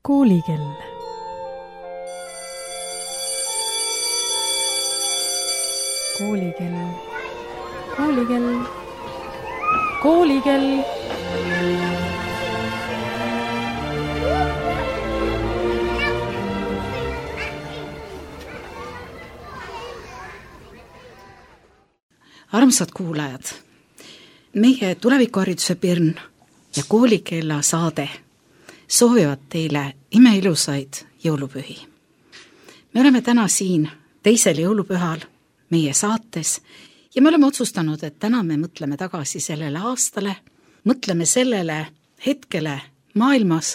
Koolikell. Koolikell. Koolikell. Koolikell. Armsad kuulajad, meie tulevikuhariduse Pirn ja Koolikella saade soovivad teile imeilusaid jõulupühi. Me oleme täna siin teisel jõulupühal meie saates ja me oleme otsustanud, et täna me mõtleme tagasi sellele aastale, mõtleme sellele hetkele maailmas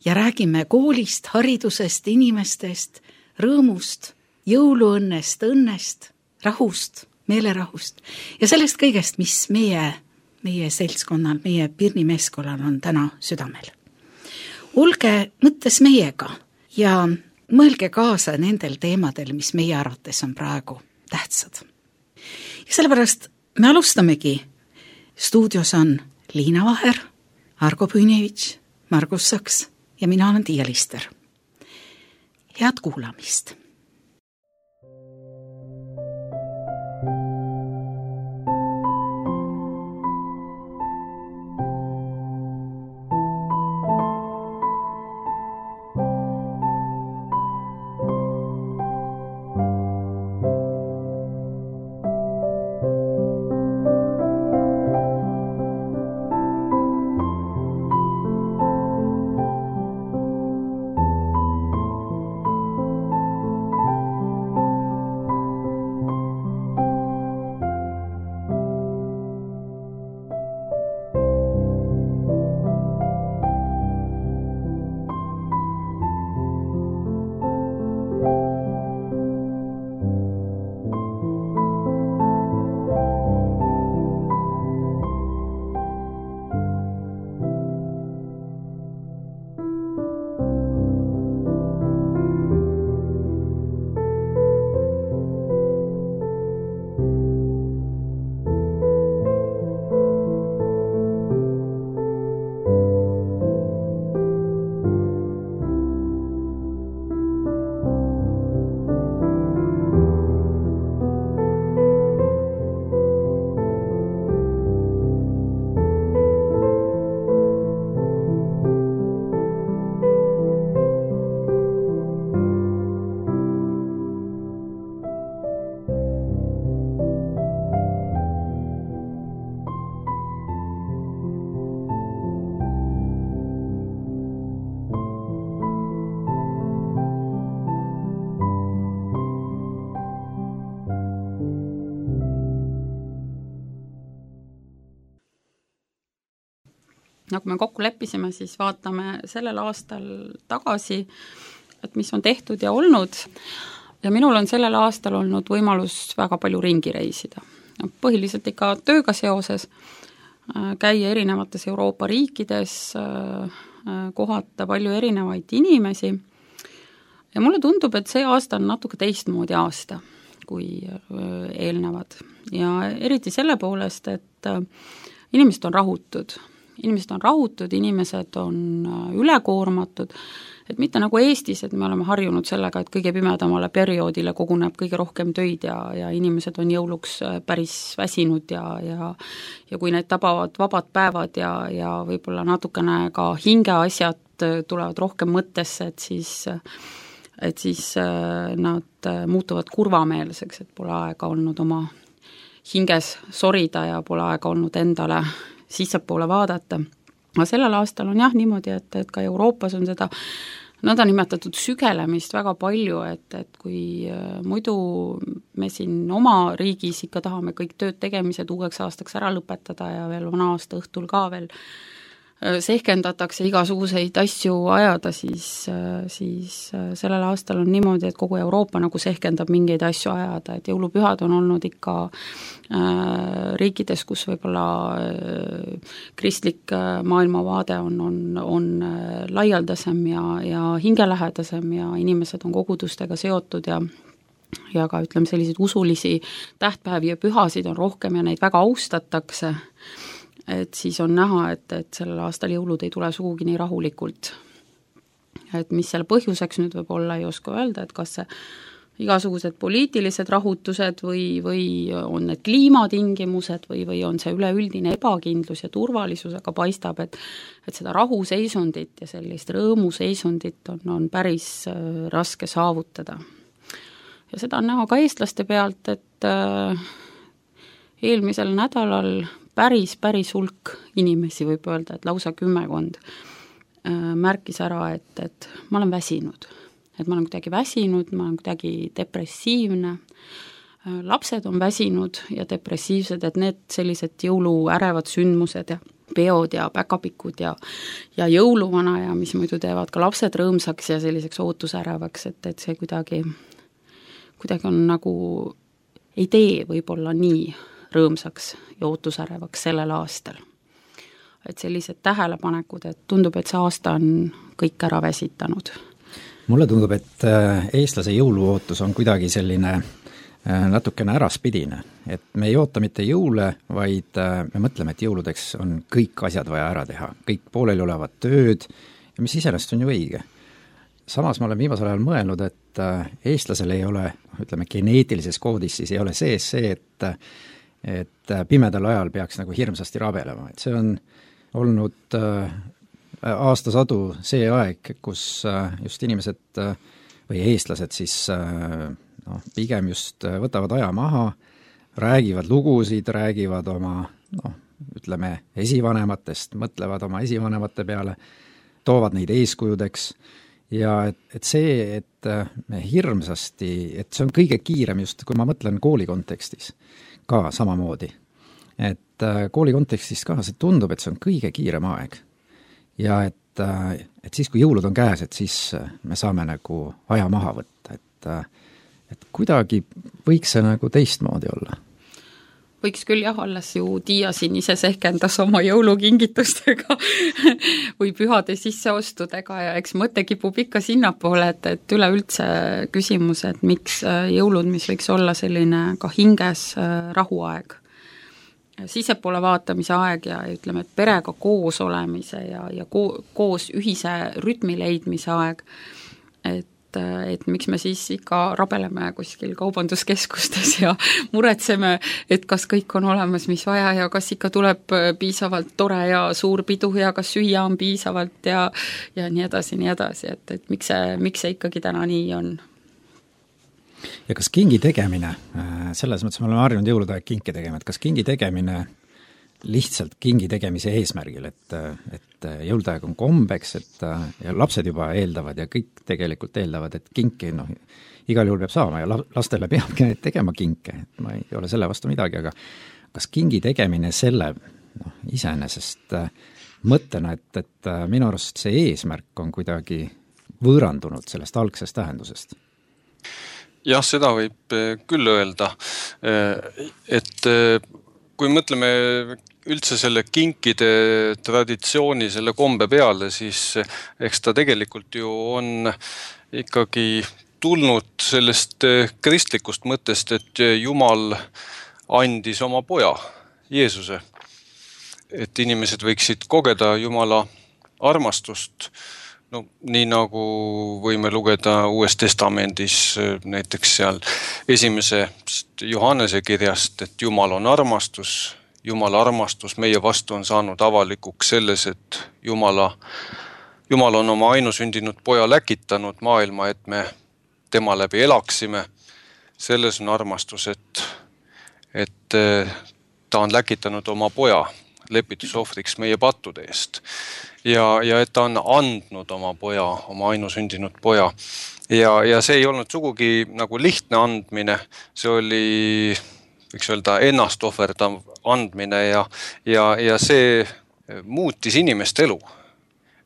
ja räägime koolist, haridusest, inimestest, rõõmust, jõuluõnnest, õnnest, rahust, meelerahust ja sellest kõigest, mis meie seltskonnal, meie Pirni meeskonnal on täna südamel. Olge mõttes meiega ja mõelge kaasa nendel teemadel, mis meie arvates on praegu tähtsad. Ja sellepärast me alustamegi. Stuudios on Liina Vaher, Argo Püünevitš, Margus Saks ja mina olen Tiia Lister. Head kuulamist! Nagu me kokku leppisime, siis vaatame sellel aastal tagasi, et mis on tehtud ja olnud. Ja minul on sellel aastal olnud võimalus väga palju ringi reisida. Põhiliselt ikka tööga seoses, käia erinevates Euroopa riikides, kohata palju erinevaid inimesi. Ja mulle tundub, et see aasta on natuke teistmoodi aasta kui eelnevad. Ja eriti selle poolest, et inimesed on rahutud. Inimesed on ülekoormatud, et mitte nagu Eestis, et me oleme harjunud sellega, et kõige pimedamale perioodile koguneb kõige rohkem töid ja inimesed on jõuluks päris väsinud ja kui neid tabavad vabad päevad ja võib-olla natukene ka hingeasjad tulevad rohkem mõttesse, et siis nad muutuvad kurvameelseks, et pole aega olnud oma hinges sorida ja pole aega olnud endale sissepoole vaadata. Aga sellel aastal on jah niimoodi, et ka Euroopas on seda nõndanimetatud sügelemist väga palju, et kui muidu me siin oma riigis ikka tahame kõik tööd tegemised uueks aastaks ära lõpetada ja veel vana aasta õhtul ka veel sehkendatakse igasuguseid asju ajada, siis sellel aastal on niimoodi, et kogu Euroopa nagu sehkendab mingeid asju ajada, et jõulupühad on olnud ikka riikides, kus võib-olla kristlik maailmavaade on laialdasem ja hingelähedasem ja inimesed on kogudustega seotud ja ka ütleme selliseid usulisi tähtpäevi ja pühasid on rohkem ja neid väga austatakse, et siis on näha, et sellel aastal jõulud ei tule sugugi nii rahulikult. et mis selle põhjuseks nüüd võib olla, ei oska öelda, et kas see igasugused poliitilised rahutused või on need kliimatingimused või on see üleüldine ebakindlus ja turvalisus, aga paistab, et seda rahuseisundit ja sellist rõõmuseisundit on päris raske saavutada. Ja seda on näha ka eestlaste pealt, et eelmisel nädalal päris hulk inimesi, võib öelda, et lausa 10 märkis ära, et ma olen väsinud. Et ma olen kuidagi väsinud, ma olen kuidagi depressiivne, lapsed on väsinud ja depressiivsed, et need sellised jõuluärevad sündmused ja peod ja päkapikud ja jõuluvana ja mis muidu teevad ka lapsed rõõmsaks ja selliseks ootusärevaks, et see kuidagi on nagu, ei tee võib-olla nii rõõmsaks ja ootusärevaks sellel aastal. Et sellised tähelepanekud, et tundub, et see aasta on kõik ära väsitanud. Mulle tundub, et eestlase jõuluootus on kuidagi selline natukene äraspidine, et me ei oota mitte jõule, vaid me mõtleme, et jõuludeks on kõik asjad vaja ära teha, kõik pooleli olevad tööd, ja mis iseenesest on ju õige. Samas ma olen viimasel ajal mõelnud, et eestlasel ei ole, ütleme, geneetilises koodis siis ei ole sees see, et pimedal ajal peaks nagu hirmsasti rabelema, et see on olnud aastasadu see aeg, kus just inimesed või eestlased siis pigem just võtavad aja maha, räägivad lugusid, räägivad oma ütleme esivanematest, mõtlevad oma esivanemate peale, toovad neid eeskujudeks ja et see, et me hirmsasti, et see on kõige kiirem just, kui ma mõtlen kooli kontekstis ka samamoodi, et kooli kontekstis ka see tundub, et see on kõige kiirem aeg. Ja et siis, kui jõulud on käes, et siis me saame nagu aja maha võtta, et kuidagi võiks see nagu teistmoodi olla. Võiks küll jah, alles ju Tiia siin ise sehkendas oma jõulukingitustega või pühade sisseostudega ja eks mõte kipub ikka sinnapoole, et üleüldse küsimus, et miks jõulud, mis võiks olla selline ka hinges rahuaeg, sisepoole vaatamise aeg ja ütleme, et perega koos olemise ja koos ühise rütmi leidmise aeg, et miks me siis ikka rabeleme kuskil kaubanduskeskustes ja muretseme, et kas kõik on olemas, mis vaja ja kas ikka tuleb piisavalt tore ja suur pidu ja kas süüa on piisavalt ja nii edasi, et miks see ikkagi täna nii on. Ja kas kingi tegemine, selles mõttes me oleme harjunud jõuludaeg kinki tegema, et kas kingi tegemine lihtsalt kingi tegemise eesmärgil, et jõuludaeg on kombeks, et ja lapsed juba eeldavad ja kõik tegelikult eeldavad, et kinki igal juhul peab saama ja lastele peabki tegema kinke, et ma ei ole selle vastu midagi, aga kas kingi tegemine selle iseenesest mõttena, et minu arust see eesmärk on kuidagi võõrandunud sellest algsest tähendusest? Jah, seda võib küll öelda, et kui mõtleme üldse selle kinkide traditsiooni, selle kombe peale, siis eks ta tegelikult ju on ikkagi tulnud sellest kristlikust mõttest, et Jumal andis oma poja, Jeesuse. Et inimesed võiksid kogeda Jumala armastust, nii nagu võime lugeda Uues Testamendis näiteks seal 1. Johannese kirjast, et Jumal on armastus, Jumala armastus meie vastu on saanud avalikuks selles, et Jumal on oma ainusündinud poja läkitanud maailma, et me tema läbi elaksime. Selles on armastus, et ta on läkitanud oma poja lepitusohvriks meie pattude eest. Ja et ta on andnud oma poja, oma ainusündinud poja. Ja see ei olnud sugugi nagu lihtne andmine, see oli, võiks öelda, ennast ohverdav andmine ja see muutis inimeste elu.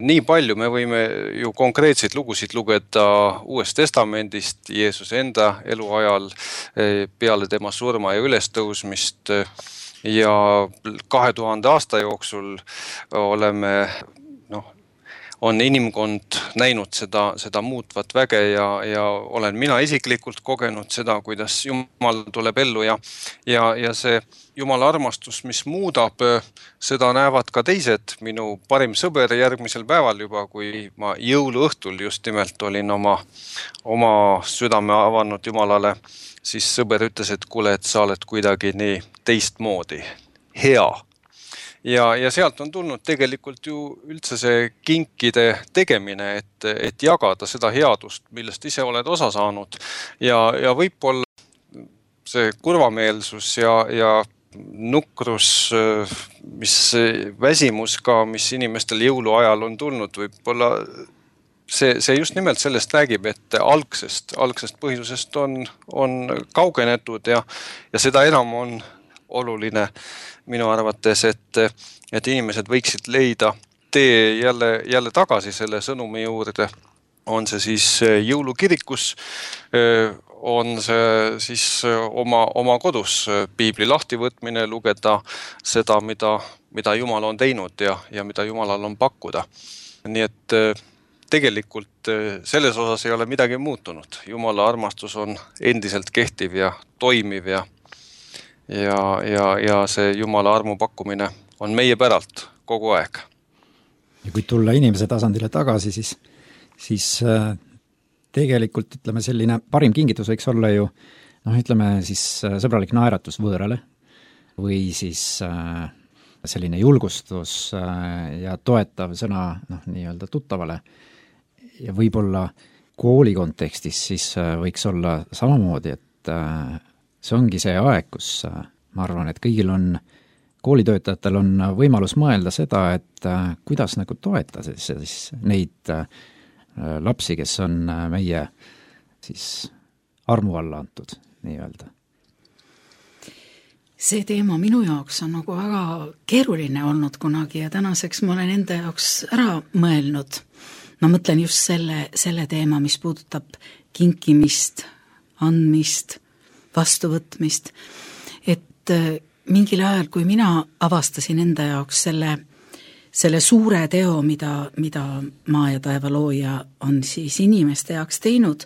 Nii palju me võime ju konkreetseid lugusid lugeda Uuest Testamendist, Jeesuse enda eluajal peale tema surma ja ülestõusmist ja 2000 aasta jooksul on inimkond näinud seda muutvat väge ja olen mina isiklikult kogenud seda, kuidas Jumal tuleb ellu ja see Jumala armastus, mis muudab, seda näevad ka teised. Minu parim sõber järgmisel päeval juba, kui ma jõuluõhtul just nimelt olin oma südame avanud Jumalale, siis sõber ütles, et kuule, et sa oled kuidagi nii teistmoodi, hea. Ja sealt on tulnud tegelikult ju üldse see kinkide tegemine, et jagada seda headust, millest ise oled osa saanud. Ja võib-olla see kurvameelsus ja nukrus, mis väsimus ka, mis inimestel jõuluajal on tulnud, võib-olla see just nimelt sellest räägib, et algsest põhjusest on kaugenetud ja seda enam on oluline minu arvates, et inimesed võiksid leida tee jälle tagasi selle sõnumi juurde. On see siis jõulukirikus, on see siis oma kodus piibli lahtivõtmine, lugeda seda, mida Jumal on teinud ja mida Jumalal on pakkuda. Nii et tegelikult selles osas ei ole midagi muutunud. Jumala armastus on endiselt kehtiv ja toimiv ja see Jumala armu pakkumine on meie päralt kogu aeg. Ja kui tulla inimese tasandile tagasi, siis tegelikult ütleme selline parim kingitus võiks olla ju ütleme siis sõbralik naeratus võõrale või siis selline julgustus ja toetav sõna nii-öelda tuttavale. Ja võib-olla kooli kontekstis siis võiks olla samamoodi, et see ongi see aeg, kus ma arvan, et kõigil koolitöötajatel on võimalus mõelda seda, et kuidas nagu toeta siis neid lapsi, kes on meie siis armu alla antud, nii-öelda. See teema minu jaoks on nagu väga keeruline olnud kunagi ja tänaseks ma olen enda jaoks ära mõelnud. Ma mõtlen just selle teema, mis puudutab kinkimist, andmist, vastuvõtmist, et mingil ajal, kui mina avastasin enda jaoks selle suure teo, mida maa ja taeva looja on siis inimeste jaoks teinud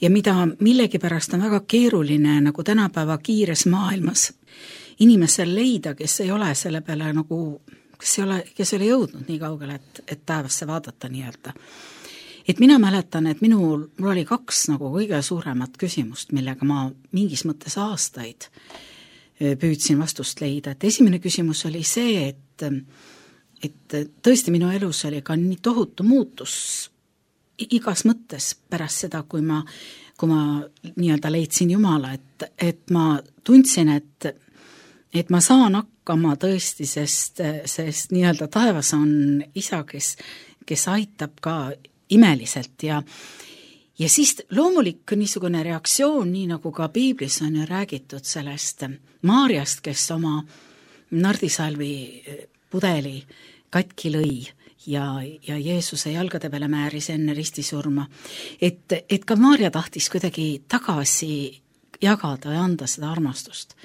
ja mida millegipärast on väga keeruline nagu tänapäeva kiires maailmas inimesel leida, kes ei ole selle peale nagu, kes ei ole jõudnud nii kaugele, et taevasse vaadata nii-öelda. Et mina mäletan, et mul oli 2 nagu kõige suuremat küsimust, millega ma mingis mõttes aastaid püüdsin vastust leida. Et esimene küsimus oli see, et tõesti minu elus oli ka nii tohutu muutus igas mõttes pärast seda, kui ma nii-öelda leidsin Jumala, et ma tundsin, et ma saan hakkama tõesti, sest nii-öelda taevas on isa, kes aitab ka imeliselt ja siis loomulik niisugune reaktsioon, nii nagu ka piiblis on ju räägitud sellest Maarjast, kes oma nardisalvi pudeli katki lõi ja Jeesuse jalgade peale määris enne ristisurma, et ka Maarja tahtis kuidagi tagasi jagada ja anda seda armastust.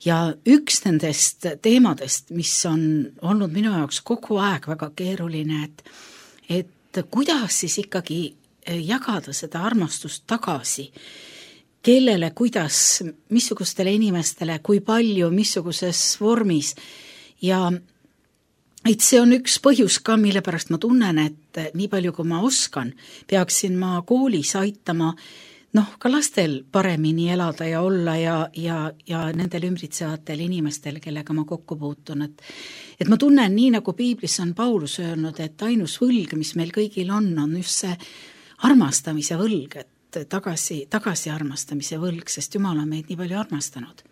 Ja üks nendest teemadest, mis on olnud minu jaoks kogu aeg väga keeruline, et kuidas siis ikkagi jagada seda armastust tagasi, kellele, kuidas, missugustele inimestele, kui palju, missuguses vormis ja et see on üks põhjus ka, mille pärast ma tunnen, et nii palju kui ma oskan, peaksin ma koolis aitama ka lastel paremini elada ja olla ja nendel ümbritsevatel inimestel, kellega ma kokku puutun. Et ma tunnen nii, nagu piiblis on Paulus öelnud, et ainus võlg, mis meil kõigil on just see armastamise võlg, et tagasi armastamise võlg, sest Jumal on meid nii palju armastanud.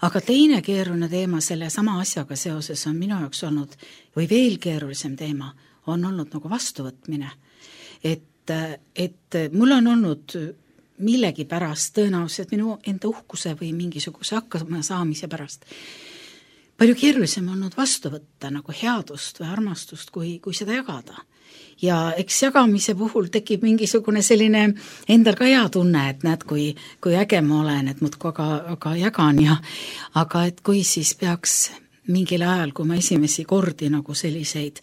Aga teine keeruline teema selle sama asjaga seoses on minu jaoks olnud, või veel keerulisem teema, on olnud nagu vastuvõtmine. Et mul on olnud millegi pärast, tõenäoliselt minu enda uhkuse või mingisuguse hakkama saamise pärast palju keerulisem olnud vastu võtta nagu headust või armastust, kui seda jagada. Ja eks jagamise puhul tekib mingisugune selline endal ka hea tunne, et näed, kui äge ma olen, et muudkui aga jagan aga et kui siis peaks mingil ajal, kui ma esimesi kordi nagu selliseid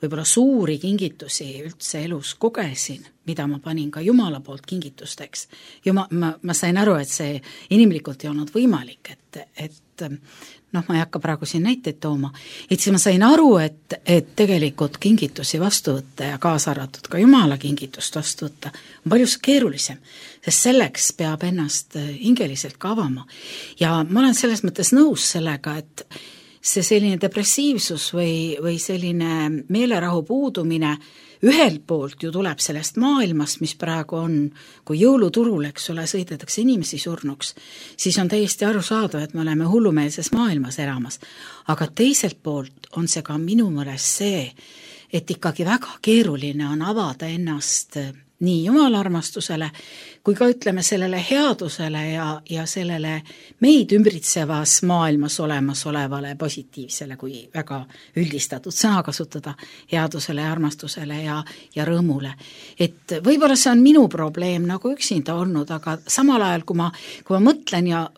võib-olla suuri kingitusi üldse elus kogesin, mida ma panin ka Jumala poolt kingitusteks. Ma sain aru, et see inimlikult ei olnud võimalik, et ma ei hakka praegu siin näiteid tooma, et siis ma sain aru, et tegelikult kingitusi vastu võtta ja kaasa arvatud ka Jumala kingitust vastu võtta on palju keerulisem, sest selleks peab ennast hingeliselt ka avama. Ja ma olen selles mõttes nõus sellega, et see selline depressiivsus või selline meelerahu puudumine ühelt poolt ju tuleb sellest maailmast, mis praegu on, kui jõuluturul, eks ole, sõidetakse inimesi surnuks, siis on täiesti arusaadav, et me oleme hullumeelses maailmas elamas. Aga teiselt poolt on see ka minu meelest see, et ikkagi väga keeruline on avada ennast nii Jumala armastusele, kui ka ütleme sellele headusele ja sellele meid ümbritsevas maailmas olemas olevale positiivsele, kui väga üldistatud sõna kasutada, headusele, armastusele ja rõõmule. Et võib-olla see on minu probleem nagu üksinda olnud, aga samal ajal, kui ma mõtlen ja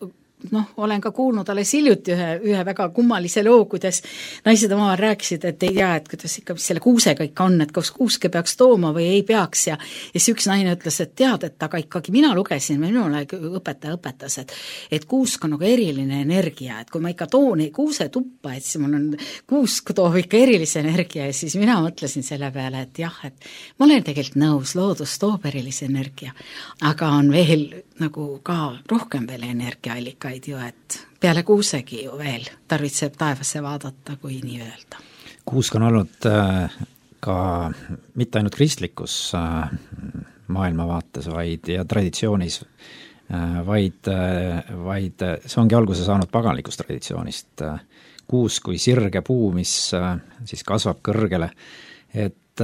olen ka kuulnud alles hiljuti ühe väga kummalise loo, kuidas naised omavahel rääkisid, et ei tea, et kuidas ikka selle kuusega ikka on, et kas kuuske peaks tooma või ei peaks ja siis üks naine ütles, et tead, et aga ikkagi mina lugesin, minule õpetaja õpetas, et kuusk on nagu eriline energia, et kui ma ikka toon kuuse tuppa, et siis mul on kuusk toob ikka erilise energia ja siis mina mõtlesin selle peale, et jah, et ma olen tegelikult nõus, loodus toob erilise energia, aga on veel nagu ka rohkem veel energiaallikaid ju, et peale kuusegi ju veel tarvitseb taevasse vaadata, kui nii öelda. Kuusk on olnud ka mitte ainult kristlikus maailmavaates, vaid ja traditsioonis, vaid see ongi alguse saanud paganlikust traditsioonist. Kuusk kui sirge puu, mis siis kasvab kõrgele, et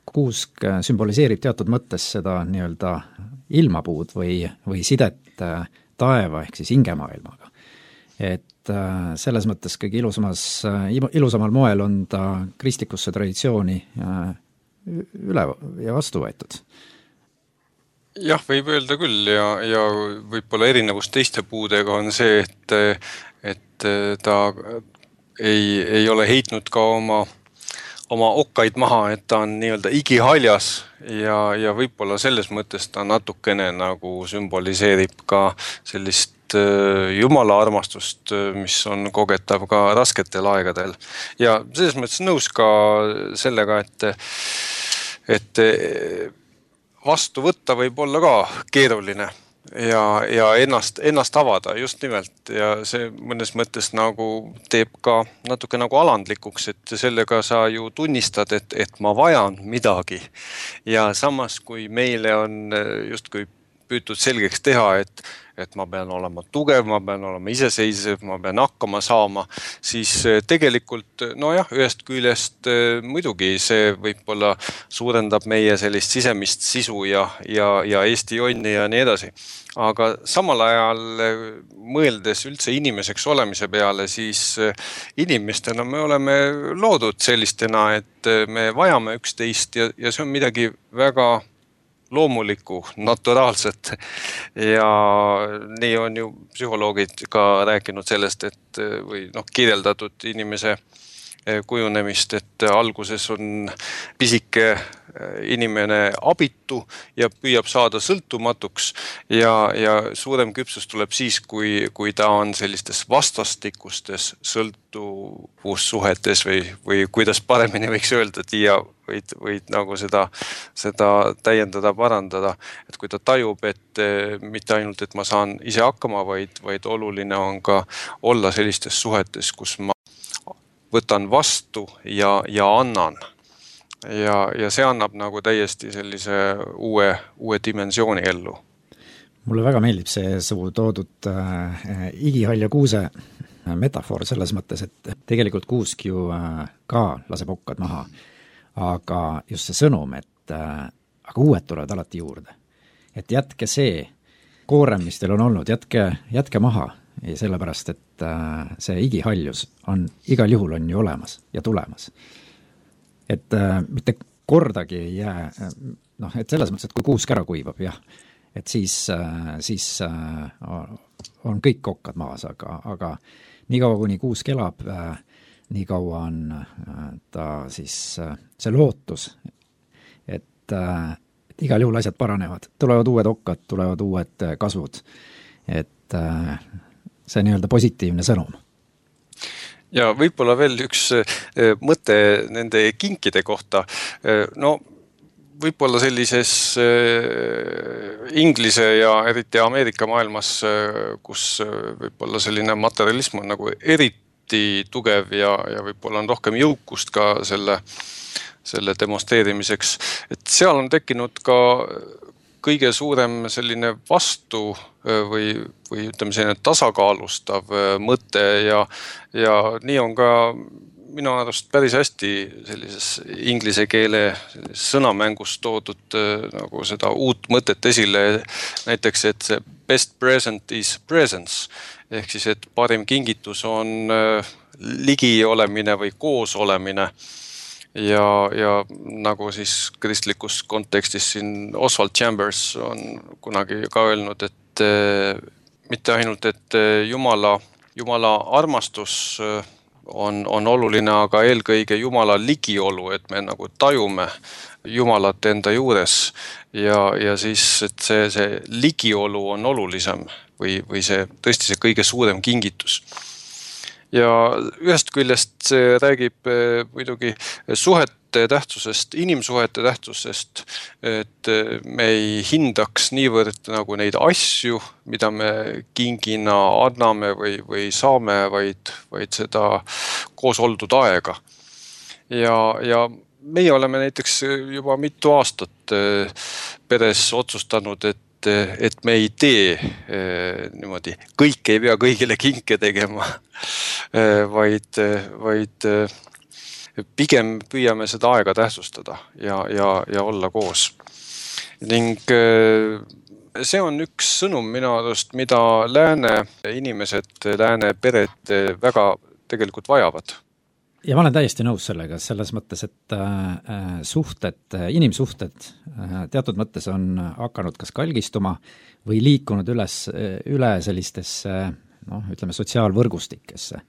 kuusk sümboliseerib teatud mõttes seda nii-öelda ilmapuud või sidet taeva ehk siis hingemaailmaga. Et selles mõttes kõige ilusamal moel on ta kristlikusse traditsiooni üle ja vastu võetud. Jah, võib öelda küll ja võib-olla erinevus teiste puudega on see, et ta ei ole heitnud ka oma okkaid maha, et ta on nii-öelda igihaljas ja võib-olla selles mõttes ta natukene nagu sümboliseerib ka sellist Jumala armastust, mis on kogetav ka rasketel aegadel. Ja selles mõttes nõus ka sellega, et vastu võtta võib olla ka keeruline ja ennast avada just nimelt ja see mõnes mõttes nagu teeb ka natuke nagu alandlikuks, et sellega sa ju tunnistad, et ma vajan midagi ja samas kui meile on justkui püütud selgeks teha, et ma pean olema tugev, ma pean olema iseseisev, ma pean hakkama saama, siis tegelikult, ühest küljest muidugi see võib-olla suurendab meie sellist sisemist sisu ja Eesti jonni ja nii edasi. Aga samal ajal mõeldes üldse inimeseks olemise peale, siis inimestena me oleme loodud sellistena, et me vajame üksteist ja see on midagi väga loomulikku, naturaalset ja nii on ju psühholoogid ka rääkinud sellest, et või kirjeldatud inimese kujunemist, et alguses on pisike inimene abitu ja püüab saada sõltumatuks ja suurem küpsus tuleb siis, kui ta on sellistes vastastikustes sõltuvussuhetes või kuidas paremini võiks öelda, ja võid nagu seda täiendada, parandada, et kui ta tajub, et mitte ainult, et ma saan ise hakkama, vaid oluline on ka olla sellistes suhetes, kus ma võtan vastu ja annan. Ja see annab nagu täiesti sellise uue dimensiooni ellu. Mulle väga meeldib see su toodud igihalja kuuse metafoor selles mõttes, et tegelikult kuusk ju ka laseb okkad maha, aga just see sõnum, et aga uued tulevad alati juurde. Et jätke see koorem, mis teil on olnud, jätke maha. Ja sellepärast, et see igihaljus on igal juhul on ju olemas ja tulemas. Et mitte kordagi ei jää, et selles mõttes, et kui kuusk ära kuivab, jah, et siis on kõik okkad maas, aga nii kaua, kuni kuusk elab, nii kaua on ta siis see lootus, et igal juhul asjad paranevad, tulevad uued okkad, tulevad uued kasvud, et see nii-öelda positiivne sõnum. Ja võib-olla veel üks mõte nende kinkide kohta. No võib-olla sellises Inglise ja eriti Ameerika maailmas, kus võib-olla selline materialism on nagu eriti tugev ja võib-olla on rohkem jõukust ka selle demonstreerimiseks, et seal on tekkinud ka kõige suurem selline vastu või ütleme selline tasakaalustav mõte ja nii on ka minu arust päris hästi sellises inglise keele sõnamängus toodud nagu seda uut mõtet esile, näiteks, et see best present is presence, ehk siis, et parim kingitus on ligi olemine või koos olemine. Ja nagu siis kristlikus kontekstis siin Oswald Chambers on kunagi ka öelnud, et mitte ainult, et Jumala armastus on oluline, aga eelkõige Jumala ligiolu, et me nagu tajume Jumalat enda juures ja siis, et see ligiolu on olulisem või see tõesti see kõige suurem kingitus. Ja ühest küljest see räägib muidugi suhete tähtsusest, inimsuhete tähtsusest, et me ei hindaks niivõrd nagu neid asju, mida me kingina anname või saame, vaid seda koos oldud aega. Ja meie oleme näiteks juba mitu aastat peres otsustanud, et me ei tee niimoodi, kõik ei pea kõigile kinke tegema, vaid pigem püüame seda aega tähtsustada ja olla koos. Ning see on üks sõnum minu arust, mida lääne inimesed, lääne pered väga tegelikult vajavad. Ja ma olen täiesti nõus sellega, selles mõttes, et inimsuhted teatud mõttes on hakanud kas kalgistuma või liikunud üle sellistesse, ütleme, sotsiaalvõrgustikesse,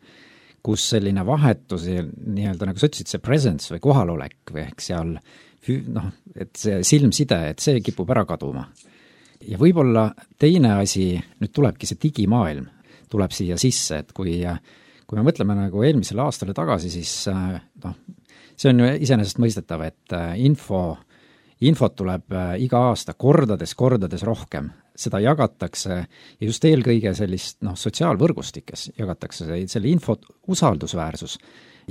kus selline vahetus, nii-öelda nagu sa ütlesid, see presence või kohalolek või ehk seal, et see silmside, et see kipub ära kaduma. Ja võib-olla teine asi, nüüd tulebki see digimaailm, tuleb siia sisse, et kui me mõtleme nagu eelmisele aastale tagasi, siis see on ju iseenesest mõistetav, et infot tuleb iga aasta kordades rohkem. Seda jagatakse ja just eelkõige sellist sotsiaalvõrgustikes jagatakse selle infot usaldusväärsus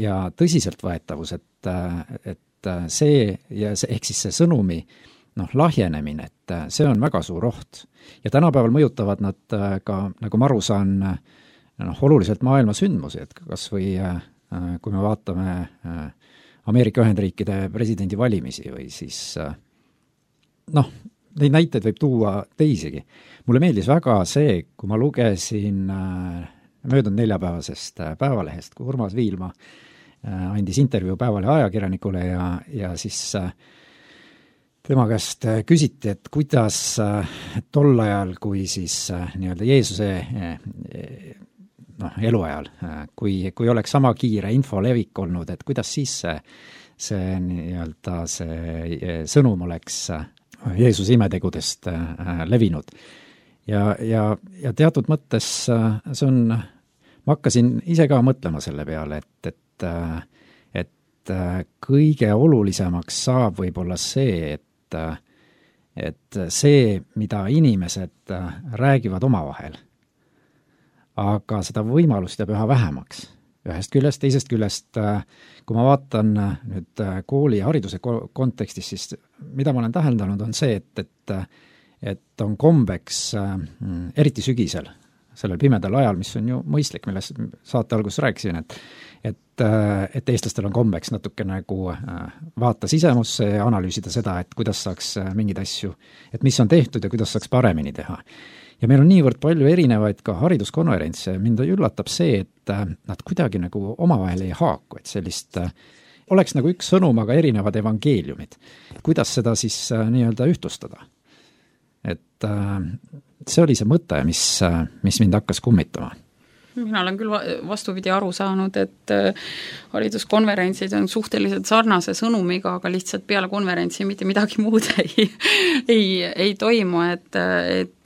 ja tõsiseltvõetavus, et see ja see, ehk siis see sõnumi lahjenemine, et see on väga suur oht. Ja tänapäeval mõjutavad nad ka, nagu ma aru saan, oluliselt maailma sündmusi, et kas või kui me vaatame Ameerika Ühendriikide presidendi valimisi või siis neid näiteid võib tuua teisigi. Mulle meeldis väga see, kui ma lugesin möödunud neljapäevasest Päevalehest, kui Urmas Viilma andis intervjuu Päevalehe ajakirjanikule ja siis tema käest küsiti, et kuidas tol ajal, kui siis nii-öelda Jeesuse eluajal, kui oleks sama kiire info levik olnud, et kuidas siis see nii-öelda see sõnum oleks Jeesuse imetegudest levinud. Ja teatud mõttes see on, ma hakkasin ise ka mõtlema selle peale, et kõige olulisemaks saab võib-olla see, et see, mida inimesed räägivad omavahel, aga seda võimalust jääb üha vähemaks. Ühest küljest, teisest küljest, kui ma vaatan nüüd kooli ja hariduse kontekstis, siis mida ma olen täheldanud, on see, et on kombeks, eriti sügisel, sellel pimedal ajal, mis on ju mõistlik, millest saate alguses rääkisin, et eestlastel on kombeks natuke nagu vaata sisemusse ja analüüsida seda, et kuidas saaks mingeid asju, et mis on tehtud ja kuidas saaks paremini teha. Ja meil on niivõrd palju erinevaid ka hariduskonverentse, mind üllatab see, et nad kuidagi nagu omavahel ei haaku, et sellist oleks nagu üks sõnum, aga erinevad evangeeliumid. Kuidas seda siis nii-öelda ühtlustada? Et see oli see mõte, mis mind hakkas kummitama. mina olen küll vastupidi aru saanud, et hariduskonverentsid on suhteliselt sarnase sõnumiga, aga lihtsalt peale konverentsi mitte midagi muud ei toimu, et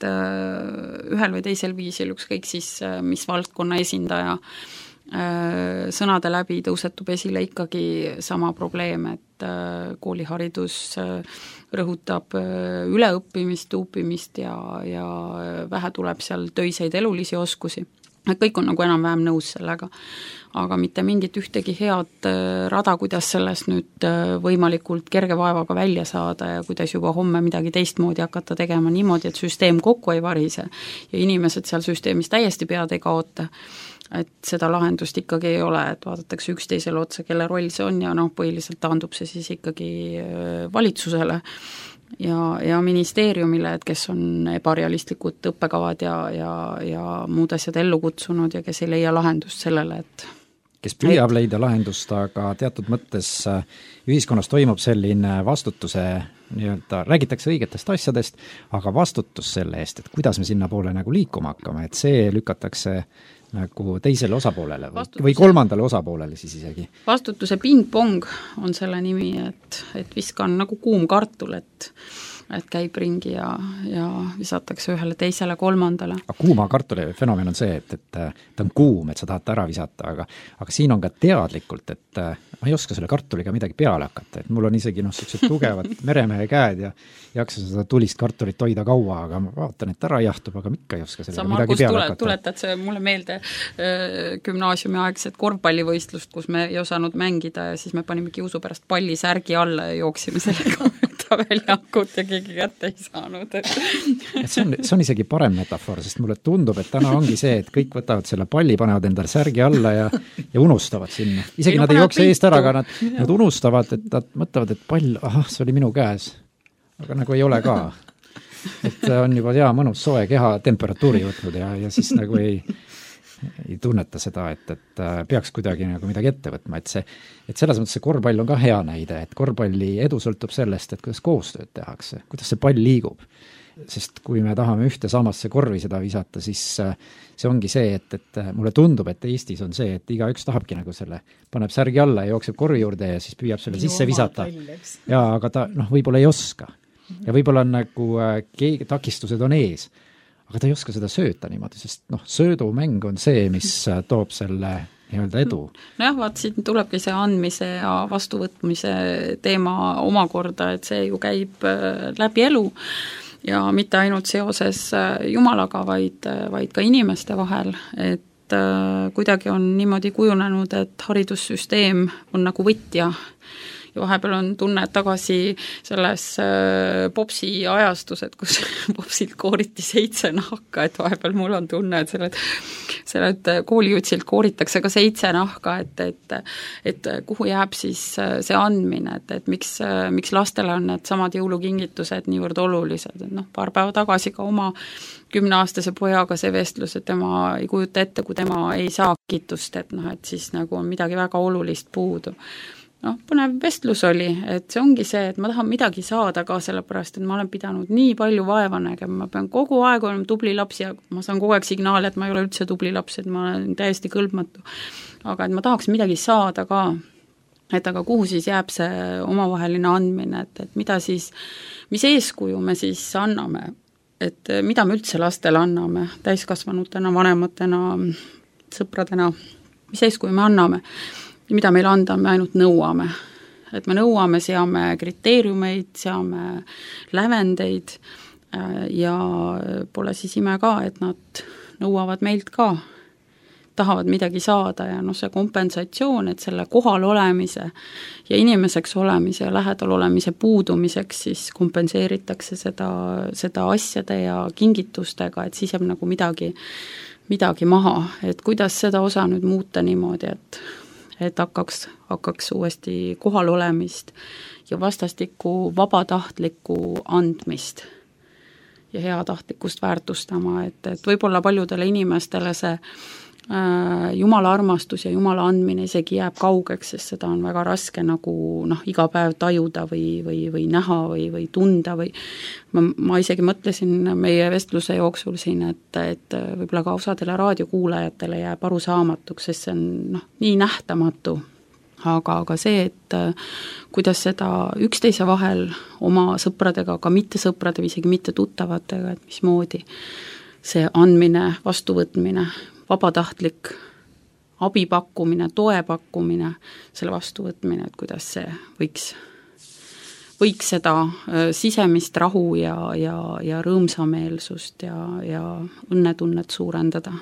ühel või teisel viisil, ükskõik siis mis valdkonna esindaja sõnade läbi tõusetub esile ikkagi sama probleem, et kooliharidus rõhutab üleõppimist, tuupimist ja vähe tuleb seal töiseid elulisi oskusi. Kõik on nagu enam-vähem nõus sellega, aga mitte mingit ühtegi head rada, kuidas sellest nüüd võimalikult kerge vaevaga välja saada ja kuidas juba homme midagi teistmoodi hakata tegema niimoodi, et süsteem kokku ei varise ja inimesed seal süsteemis täiesti pead ei kaota. Et seda lahendust ikkagi ei ole, et vaadatakse üksteisele otsa, kelle roll see on ja põhiliselt taandub see siis ikkagi valitsusele ja ministeeriumile, et kes on ebarealistlikud õppekavad ja muud asjad ellu kutsunud ja kes ei leia lahendust sellele, et kes püüab leida lahendust, aga teatud mõttes ühiskonnas toimub selline vastutuse nii-öelda, räägitakse õigetest asjadest, aga vastutus selle eest, et kuidas me sinna poole nagu liikuma hakkame, et see lükatakse nagu teisele osapoolele või kolmandale osapoolele siis isegi. Vastutuse ping-pong on selle nimi, et viskan nagu kuum kartul, et käib ringi ja visatakse ühele teisele kolmandale. Aga kuuma kartuli fenomen on see, et ta on kuum, et sa tahad ära visata, aga siin on ka teadlikult, et ma ei oska selle kartuliga midagi peale hakata, et mul on isegi sellised tugevad meremehe käed ja jaksa seda tulist kartulit hoida kaua, aga ma vaatan, et ära jahtub, aga ikka ei oska sellega midagi peale hakata. Tuletad see mulle meelde gümnaasiumi aegset korvpallivõistlust, kus me ei osanud mängida ja siis me panime kiusu pärast palli särgi alla ja jooksime sellega väljakut ja keegi kätte ei saanud. See on isegi parem metafoor, sest mulle tundub, et täna ongi see, et kõik võtavad selle palli, panevad endale särgi alla ja unustavad sinna. Isegi nad ei jookse eest ära, aga nad unustavad, et nad mõtlevad, et pall, see oli minu käes. Aga nagu ei ole ka. Et on juba mõnus soe keha temperatuuri võtnud ja siis nagu ei tunneta seda, et peaks kuidagi nagu midagi ette võtma, et selles mõttes see korvpall on ka hea näide, et korvpalli edu sõltub sellest, et kuidas koostööd tehakse, kuidas see pall liigub. Sest kui me tahame ühte samasse korvi seda visata, siis see ongi see, et mulle tundub, et Eestis on see, et igaüks tahabki nagu selle, paneb särgi alla ja jookseb korvi juurde ja siis püüab selle sisse visata. Ja, aga ta võib-olla ei oska. Ja võib-olla on nagu takistused on ees. Aga ta ei oska seda sööta niimoodi, sest söödumäng on see, mis toob selle nii-öelda edu. Nojah, vaat siin tulebki see andmise ja vastuvõtmise teema omakorda, et see ju käib läbi elu ja mitte ainult seoses Jumalaga, vaid ka inimeste vahel, et kuidagi on niimoodi kujunenud, et haridussüsteem on nagu võtja ja vahepeal on tunne tagasi selles popsi ajastus, et kus popsilt kooriti 7 nahka, et vahepeal mul on tunne, et sellelt koolijutsilt kooritakse ka 7 nahka, et kuhu jääb siis see andmine, et miks lastele on need samad jõulukingitused niivõrd olulised, et paar päeva tagasi ka oma 10-aastase pojaga see vestlus, et tema ei kujuta ette, kui tema ei saa kitust, et siis nagu on midagi väga olulist puudu. Põnev vestlus oli, et see ongi see, et ma tahan midagi saada ka sellepärast, et ma olen pidanud nii palju vaeva nägema, ma pean kogu aeg olema tubli laps ja ma saan kogu aeg signaali, et ma ei ole üldse tubli laps, et ma olen täiesti kõlbmatu. Aga et ma tahaks midagi saada ka, et aga kuhu siis jääb see omavaheline andmine, et mida siis, mis eeskuju me siis anname, et mida me üldse lastele anname, täiskasvanutena, vanematena, sõpradena, mis eeskuju me anname. Ja mida meil anda, me ainult nõuame. Et me nõuame, seame kriteeriumeid, seame lävendeid ja pole siis ime ka, et nad nõuavad meilt ka, tahavad midagi saada ja see kompensatsioon, et selle kohal olemise ja inimeseks olemise ja lähedal olemise puudumiseks siis kompenseeritakse seda asjade ja kingitustega, et siis jääb nagu midagi maha, et kuidas seda osa nüüd muuta niimoodi, et hakkaks uuesti kohal olemist ja vastastikku vabatahtlikku andmist ja heatahtlikkust väärtustama, et võib-olla paljudele inimestele see Jumala armastus ja Jumala andmine isegi jääb kaugeks, sest seda on väga raske nagu iga päev tajuda või näha või tunda või ma isegi mõtlesin meie vestluse jooksul siin, et võib-olla ka osadele raadiokuulajatele jääb arusaamatuks, sest see on nii nähtamatu. Aga see, et kuidas seda üksteise vahel oma sõpradega, ka mitte sõprade või isegi mitte tuttavatega, et mismoodi see andmine, vastuvõtmine, vabatahtlik abi pakkumine, toe pakkumine, selle vastuvõtmine, et kuidas see võiks seda sisemist rahu ja rõõmsameelsust ja õnnetunnet suurendada.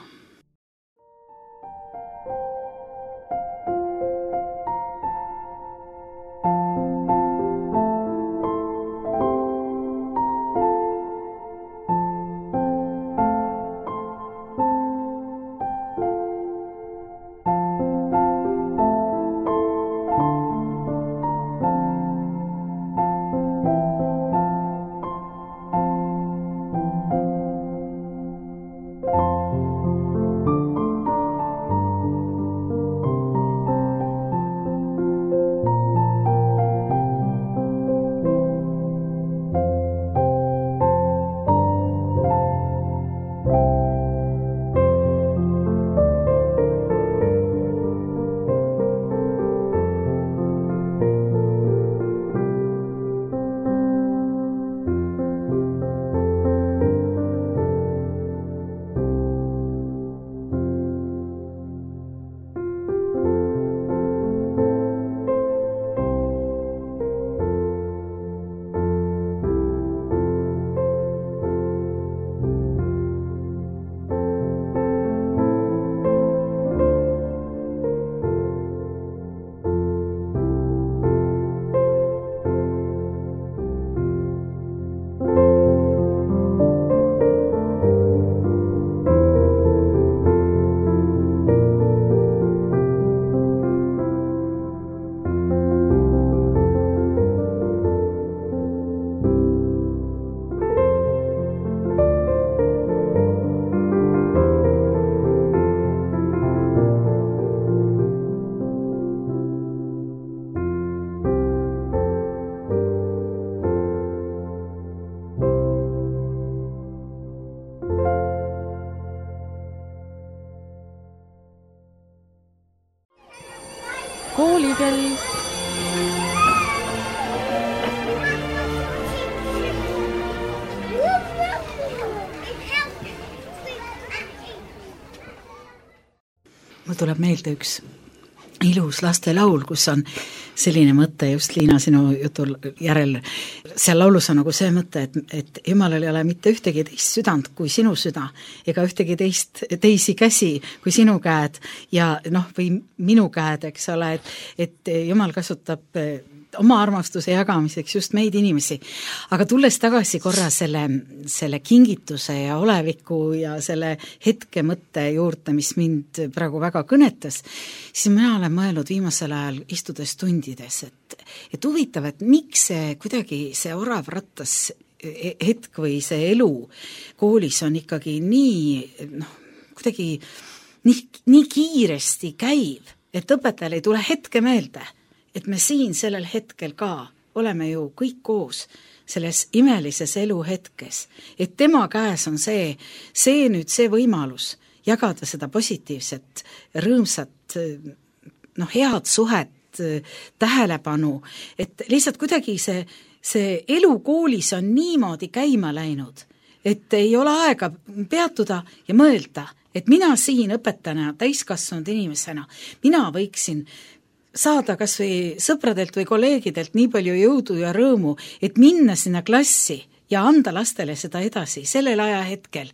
Koolikell. Mul tuleb meelde üks ilus lastelaul, kus on selline mõte just Liina sinu jutul järel. Seal laulus on nagu see mõte, et Jumalal ei ole mitte ühtegi teist südant kui sinu süda, ega ühtegi teisi käsi kui sinu käed ja või minu käed, eks ole, et Jumal kasutab oma armastuse jagamiseks just meid inimesi. Aga tulles tagasi korra selle kingituse ja oleviku ja selle hetke mõtte juurde, mis mind praegu väga kõnetas, siis mina olen mõelnud viimasel ajal istudes tundides, et huvitav, et miks see kuidagi see orav rattas hetk või see elu koolis on ikkagi kuidagi nii kiiresti käiv, et õpetajal ei tule hetke meelde, et me siin sellel hetkel ka oleme ju kõik koos selles imelises eluhetkes, et tema käes on see võimalus jagada seda positiivset, rõõmsat, head suhet, tähelepanu, et lihtsalt kuidagi see elu koolis on niimoodi käima läinud, et ei ole aega peatuda ja mõelda, et mina siin õpetajana, täiskasvanud inimesena, mina võiksin saada kas või sõpradelt või kolleegidelt nii palju jõudu ja rõõmu, et minna sinna klassi ja anda lastele seda edasi sellel ajahetkel,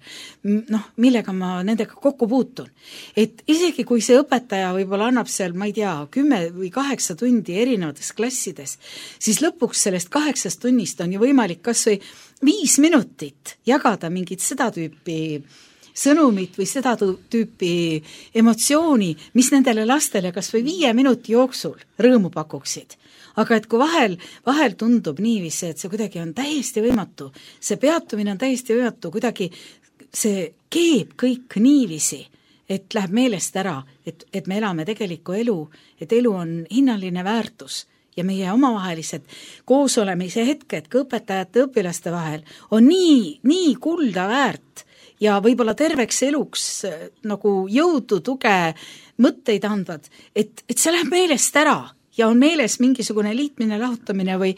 millega ma nendega kokku puutun. Et isegi kui see õpetaja võib-olla annab seal, ma ei tea, 10 või 8 tundi erinevates klassides, siis lõpuks sellest 8 tunnist on ju võimalik kas või 5 minutit jagada mingit seda tüüpi sõnumit või seda tüüpi emotsiooni, mis nendele lastele kas või 5 minuti jooksul rõõmu pakuksid. Aga et kui vahel tundub niiviisi, et see kuidagi on täiesti võimatu, see peatumine on täiesti võimatu, kuidagi see keeb kõik niiviisi, et läheb meelest ära, et me elame tegelikku elu, et elu on hinnaline väärtus ja meie omavahelised koosolemise hetked ka õpetajate ja õpilaste vahel on nii kulda väärt ja võib-olla terveks eluks nagu jõudu, tuge, mõtteid andvad, et see läheb meelest ära ja on meeles mingisugune liitmine, lahutamine või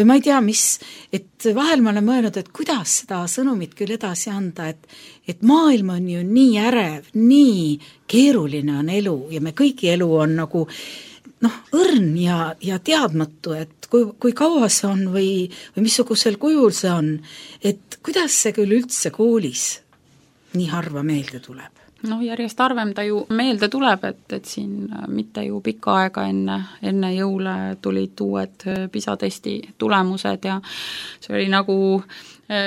ma ei tea, mis, et vahel ma olen mõelnud, et kuidas seda sõnumit küll edasi anda, et maailm on ju nii ärev, nii keeruline on elu ja me kõigi elu on nagu õrn ja teadmatu, et kui kaua see on või missugusel kujul see on, et kuidas see küll üldse koolis nii harva meelde tuleb? Järjest harvem ta ju meelde tuleb, et siin mitte ju pikka aega enne jõule tulid uued PISA testi tulemused ja see oli nagu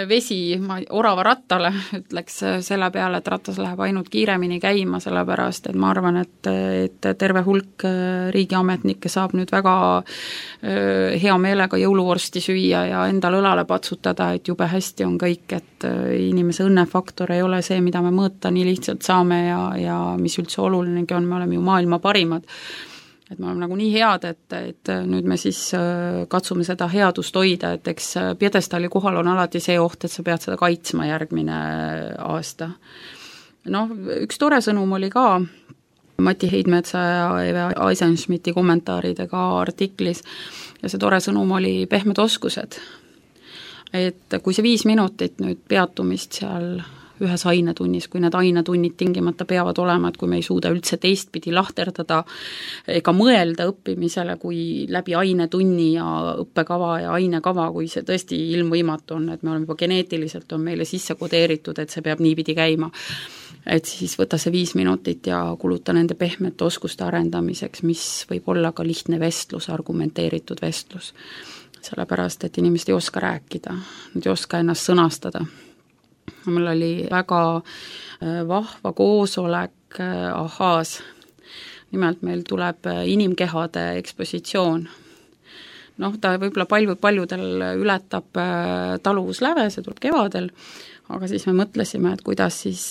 vesi orava rattale, ütleks selle peale, et ratas läheb ainult kiiremini käima, sellepärast et ma arvan, et terve hulk riigiametnikke saab nüüd väga hea meelega jõuluvorsti süüa ja endal õlale patsutada, et jube hästi on kõik, et inimese õnnefaktor ei ole see, mida me mõõta nii lihtsalt saame ja mis üldse olulinegi on, me oleme ju maailma parimad. Et me oleme nagu nii head, et nüüd me siis katsume seda headust hoida, et eks pjedestaali kohal on alati see oht, et sa pead seda kaitsma järgmine aasta. Üks tore sõnum oli ka Mati Heidmetsa ja Eve Eisenschmidti kommentaaridega artiklis ja see tore sõnum oli pehmed oskused. Et kui see 5 minutit nüüd peatumist seal ühes ainetunnis, kui need ainetunnid tingimata peavad olema, et kui me ei suuda üldse teistpidi lahterdada ega mõelda õppimisele, kui läbi ainetunni ja õppekava ja ainekava, kui see tõesti ilmvõimatu on, et me oleme juba geneetiliselt on meile sisse kodeeritud, et see peab niipidi käima. Et siis võta see 5 minutit ja kuluta nende pehmete oskuste arendamiseks, mis võib olla ka lihtne vestlus, argumenteeritud vestlus. Sellepärast, et inimesed ei oska rääkida, nad ei oska ennast sõnastada. Mul oli väga vahva koosolek Ahaas. Nimelt meil tuleb inimkehade ekspositsioon. Ta võib-olla paljudel ületab taluvusläve, see tuleb kevadel, aga siis me mõtlesime, et kuidas siis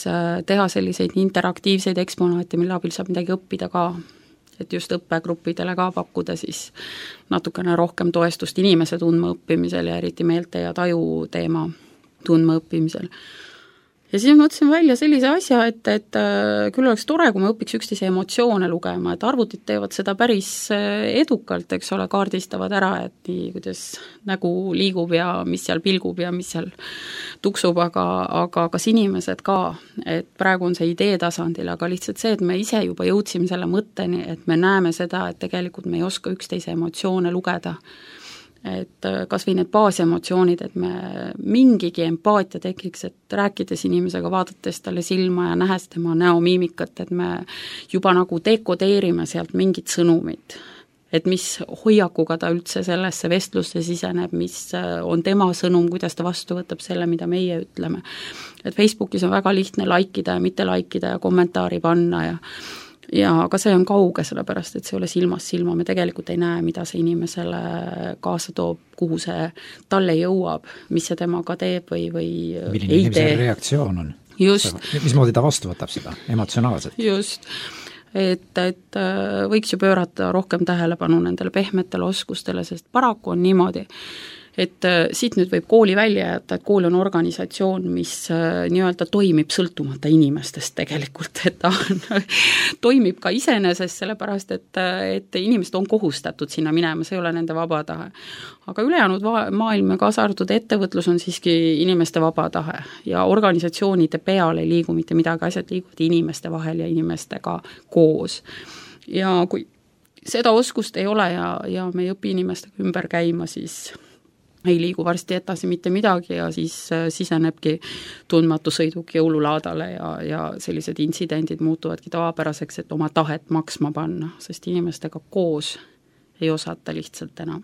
teha selliseid interaktiivseid eksponaate, mille abil saab midagi õppida ka. Et just õppegruppidele ka pakkuda siis natukene rohkem toestust inimese tundma õppimisel ja eriti meelte ja taju teema tundma õppimisel. Ja siis mõtlesin välja sellise asja, et küll oleks tore, kui me õpiks üksteise emotsioone lugema, et arvutid teevad seda päris edukalt, eks ole, kaardistavad ära, et nii, kuidas nägu liigub ja mis seal pilgub ja mis seal tuksub, aga kas inimesed ka, et praegu on see idee tasandil, aga lihtsalt see, et me ise juba jõudsime selle mõtteni, et me näeme seda, et tegelikult me ei oska üksteise emotsioone lugeda. Et kas või need baasemotsioonid, et me mingigi empaatia tekiks, et rääkides inimesega, vaadates talle silma ja nähes tema näomiimikat, et me juba nagu dekodeerime sealt mingit sõnumit, et mis hoiakuga ta üldse sellesse vestlusse siseneb, mis on tema sõnum, kuidas ta vastu võtab selle, mida meie ütleme. Et Facebookis on väga lihtne laikida ja mitte laikida ja kommentaari panna ja aga see on kauge, sellepärast, et see ei ole silmast silma, me tegelikult ei näe, mida see inimesele kaasa toob, kuhu see talle jõuab, mis see temaga teeb või milline inimese reaktsioon on. Just. Mismoodi ta vastu võtab seda emotsionaalselt? Just. Et võiks ju pöörata rohkem tähelepanu nendele pehmetele oskustele, sest paraku on niimoodi, et siit nüüd võib kooli välja jätta, et kool on organisatsioon, mis nii-öelda toimib sõltumata inimestest tegelikult, et ta toimib ka iseenesest, sellepärast, et inimesed on kohustatud sinna minema, see ei ole nende vaba tahe. Aga ülejäänud maailm ja kaasa arvatud ettevõtlus on siiski inimeste vaba tahe ja organisatsioonide peal ei liigu mitte midagi, asjad liiguvad inimeste vahel ja inimestega koos. Ja kui seda oskust ei ole ja me ei õpi inimestega ümber käima, siis ei liigu varsti edasi mitte midagi ja siis sisenebki tundmatu sõiduk jõululaadale ja sellised intsidendid muutuvadki tavapäraseks, et oma tahet maksma panna, sest inimestega koos ei osata lihtsalt enam.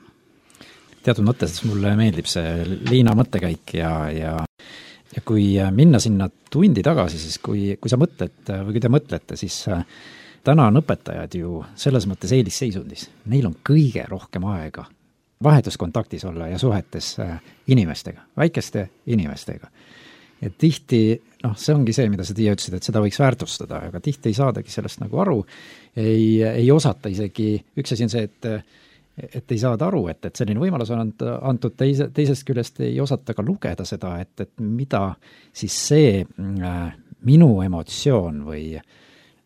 Teatud mõttes mulle meeldib see Liina mõttekäik ja kui minna sinna tundi tagasi, siis kui sa mõtled või kui te mõtlete, siis täna on õpetajad ju selles mõttes eelisseisundis. Neil on kõige rohkem aega vahetuskontaktis olla ja suhetes inimestega, väikeste inimestega. et tihti, see ongi see, mida sa Tiia ütlesid, et seda võiks väärtustada, aga tihti ei saadagi sellest nagu aru, ei osata isegi, üks asi on see, et ei saada aru, et selline võimalus on antud, teisest küljest ei osata ka lugeda seda, et mida siis see minu emotsioon või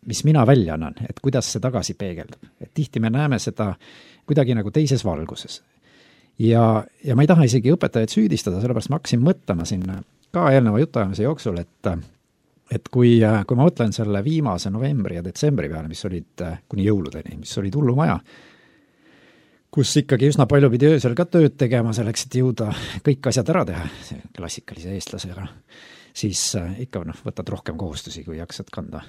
mis mina välja annan, et kuidas see tagasi peegeldab. Et tihti me näeme seda kuidagi nagu teises valguses. Ja ma ei taha isegi õpetajaid süüdistada, sellepärast ma hakkasin mõtlema sinna ka eelneva jutuajamise jooksul, et kui ma mõtlen selle viimase novembri ja detsembri peale, mis olid kuni jõuludeni, mis olid hullumaja, kus ikkagi üsna palju pidi öösel ka tööd tegema selleks, et jõuda kõik asjad ära teha, klassikalise eestlasega, siis ikka võtad rohkem kohustusi, kui jaksad kanda.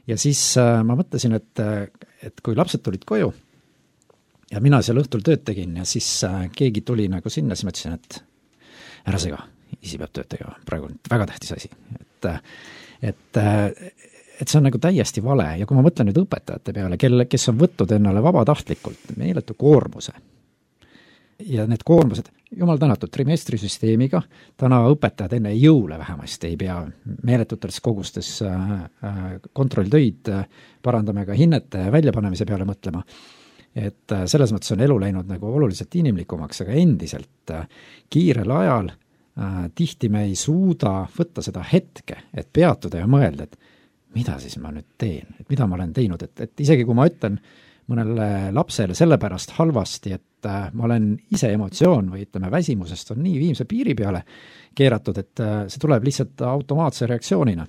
Ja siis ma mõtlesin, et kui lapsed tulid koju ja mina seal õhtul tööd tegin ja siis keegi tuli nagu sinna, siis mõtlesin, et ära sega, isi peab tööd tegema, praegu on väga tähtis asi. Et see on nagu täiesti vale ja kui ma mõtlen nüüd õpetajate peale, kes on võtnud ennale vabatahtlikult meeletu koormuse ja need koormused, jumal tänatud, trimestrisüsteemiga, täna õpetajad enne jõule vähemasti ei pea meeletutes kogustes kontrolltöid parandame ka hinnete väljapanemise peale mõtlema. Et selles mõttes on elu läinud nagu oluliselt inimlikumaks, aga endiselt kiirel ajal tihti me ei suuda võtta seda hetke, et peatuda ja mõelda, et mida siis ma nüüd teen, et mida ma olen teinud, et isegi kui ma ütlen mõnele lapsele sellepärast halvasti, et ma olen ise emotsioon või ütleme väsimusest on nii viimse piiri peale keeratud, et see tuleb lihtsalt automaatse reaktsioonina.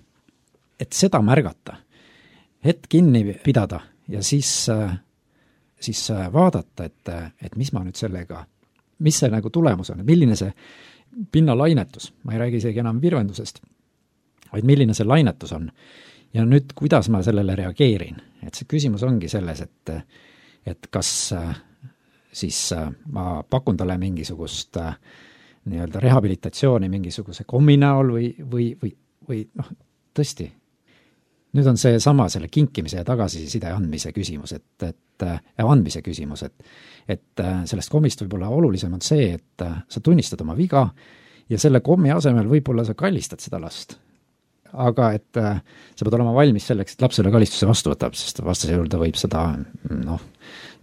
Et seda märgata, hetk kinni pidada ja siis vaadata, et mis ma nüüd sellega, mis see nagu tulemus on, milline see pinnalainetus, ma ei räägi isegi enam virvendusest, vaid milline see lainetus on. Ja nüüd, kuidas ma sellele reageerin? Et see küsimus ongi selles, et kas siis ma pakun talle mingisugust nii-öelda rehabilitatsiooni mingisuguse kommi näol või tõesti. Nüüd on see sama selle kinkimise ja tagasiside andmise küsimus, andmise küsimus, et sellest kommist võib-olla olulisem on see, et sa tunnistad oma viga ja selle kommi asemel võib-olla sa kallistad seda last. Aga et sa pead olema valmis selleks, et lapsele kallistuse vastu võtab, sest vastase juurde võib seda,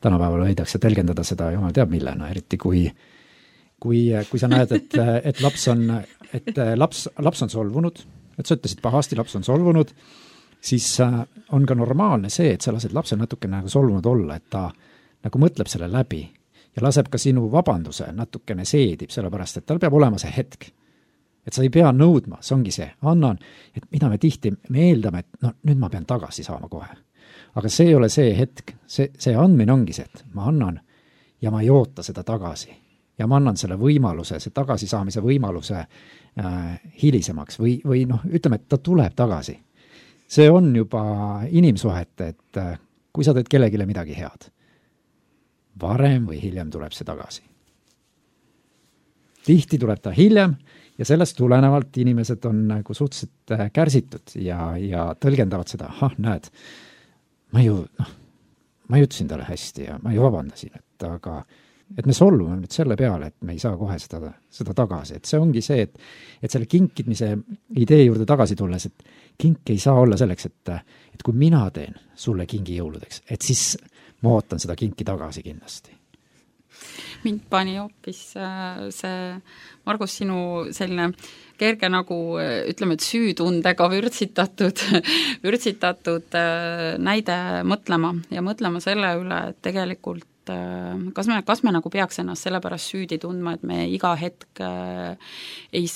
tänapäeval võidakse telgendada seda, jumal teab millena, eriti kui sa näed, et laps on solvunud, et sa ütlesid pahasti, laps on solvunud, siis on ka normaalne see, et sa lased lapsel natuke nagu solvunud olla, et ta nagu mõtleb selle läbi ja laseb ka sinu vabanduse natukene seedib, sellepärast, et tal peab olema see hetk. Et sa ei pea nõudma, see ongi see, annan, et mida me tihti, me eeldame, et nüüd ma pean tagasi saama kohe. Aga see ei ole see hetk, see andmine ongi see, et ma annan ja ma ei oota seda tagasi. Ja ma annan selle võimaluse, see tagasi saamise võimaluse hilisemaks või ütleme, et ta tuleb tagasi. See on juba inimsuhete, et kui sa teed kellegile midagi head, varem või hiljem tuleb see tagasi. Tihti tuleb ta hiljem, ja sellest tulenevalt inimesed on nagu suhteliselt kärsitud ja tõlgendavad seda, näed, ma ütlesin talle hästi ja ma ju vabandasin, et me solvume nüüd selle peale, et me ei saa kohe seda tagasi, et see ongi see, et selle kinkidmise idee juurde tagasi tulles, et kink ei saa olla selleks, et kui mina teen sulle kingi jõuludeks, et siis ma ootan seda kinki tagasi kindlasti. Mind pani hoopis see, Margus, sinu selline kerge nagu, ütleme, et süütundega vürtsitatud näide mõtlema selle üle, et tegelikult kas me nagu peaks ennast sellepärast süüdi tundma, et me iga hetk ei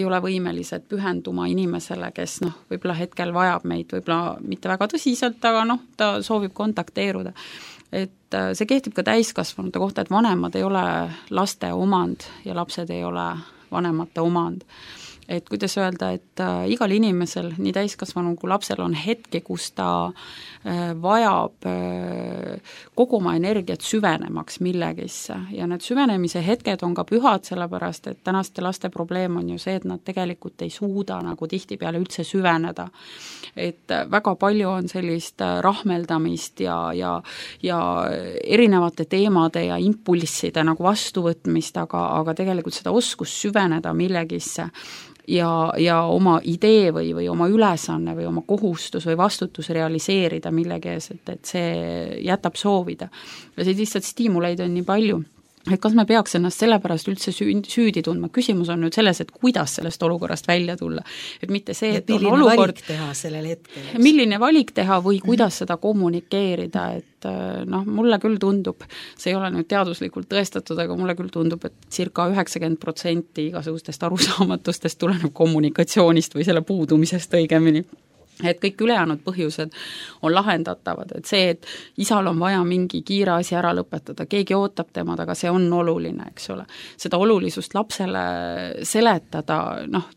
ole võimelised pühenduma inimesele, kes võib-olla hetkel vajab meid, võib-olla mitte väga tõsiselt, aga ta soovib kontakteeruda. Et see kehtib ka täiskasvanute kohta, et vanemad ei ole laste omand ja lapsed ei ole vanemate omand. Et kuidas öelda, et igal inimesel, nii täiskasvanu kui lapsel on hetki, kus ta vajab kogu oma energiat süvenemaks millegisse ja need süvenemise hetked on ka pühad, sellepärast et tänaste laste probleem on ju see, et nad tegelikult ei suuda nagu tihtipeale üldse süveneda. Et väga palju on sellist rahmeldamist ja erinevate teemade ja impulsside nagu vastuvõtmist, aga tegelikult seda oskust süveneda millegisse ja oma idee või oma ülesanne või oma kohustus või vastutus realiseerida millegi ees, et see jätab soovida. Ja see lihtsalt stiimuleid on nii palju. Et kas me peaks ennast sellepärast üldse süüdi tundma? Küsimus on nüüd selles, et kuidas sellest olukorrast välja tulla. Et mitte see, et on olukord, valik teha sellel hetkel. Milline valik teha või kuidas seda kommunikeerida, et mulle küll tundub, see ei ole nüüd teaduslikult tõestatud, aga mulle küll tundub, et circa 90% igasugustest arusaamatustest tuleneb kommunikatsioonist või selle puudumisest õigemini. Et kõik ülejäänud põhjused on lahendatavad, et see, et isal on vaja mingi kiire asi ära lõpetada, keegi ootab temad, aga see on oluline, eks ole. Seda olulisust lapsele seletada,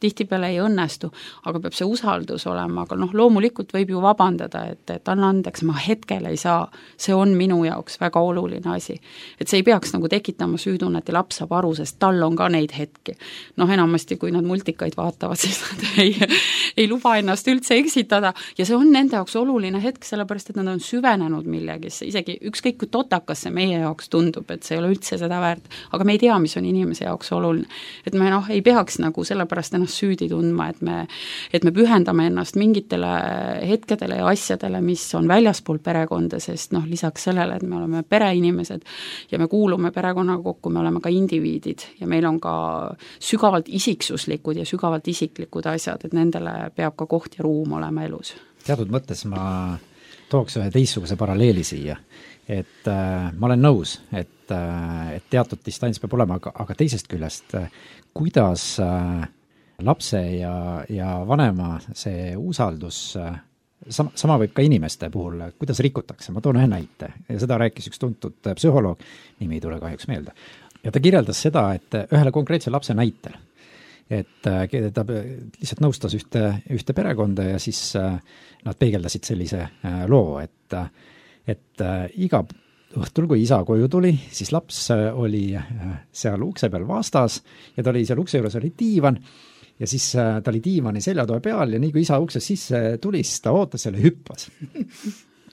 tihtipeale ei õnnestu, aga peab see usaldus olema, aga loomulikult võib ju vabandada, et anna andeks, ma hetkel ei saa, see on minu jaoks väga oluline asi. Et see ei peaks nagu tekitama süütunnet ja laps saab aru, sest tal on ka neid hetki. Enamasti, kui nad multikaid vaatavad, siis nad ei luba ennast üldse eksida, ja see on nende jaoks oluline hetk, sellepärast, et nad on süvenenud millegisse, isegi ükskõik kui totakas see meie jaoks tundub, et see ei ole üldse seda väärt, aga me ei tea, mis on inimese jaoks oluline. Et me ei peaks nagu sellepärast ennast süüdi tundma, et me pühendame ennast mingitele hetkedele ja asjadele, mis on väljaspool perekonda, sest lisaks sellele, et me oleme pereinimesed ja me kuulume perekonnaga kokku, me oleme ka indiviidid ja meil on ka sügavalt isiksuslikud ja sügavalt isiklikud asjad, et nendele peab ka koht ja ruum olema elus. Teatud mõttes ma tooks ühe teistsuguse paralleeli siia, et ma olen nõus, et teatud distants peab olema, aga teisest küljest, kuidas lapse ja vanema see usaldus, sama võib ka inimeste puhul, kuidas rikutakse, ma toon ühe näite ja seda rääkis üks tuntud psühholoog, nimi ei tule kahjuks meelde, ja ta kirjeldas seda, et ühele konkreetse lapse näitel, et ta lihtsalt nõustas ühte perekonda ja siis nad peegeldasid sellise loo, et iga õhtul, kui isa koju tuli, siis laps oli seal ukse peal vastas ja ta oli seal ukse juures oli diivan ja siis ta oli diivani seljatoe peal ja nii kui isa uksest sisse tuli, siis ta ootas selle hüppas.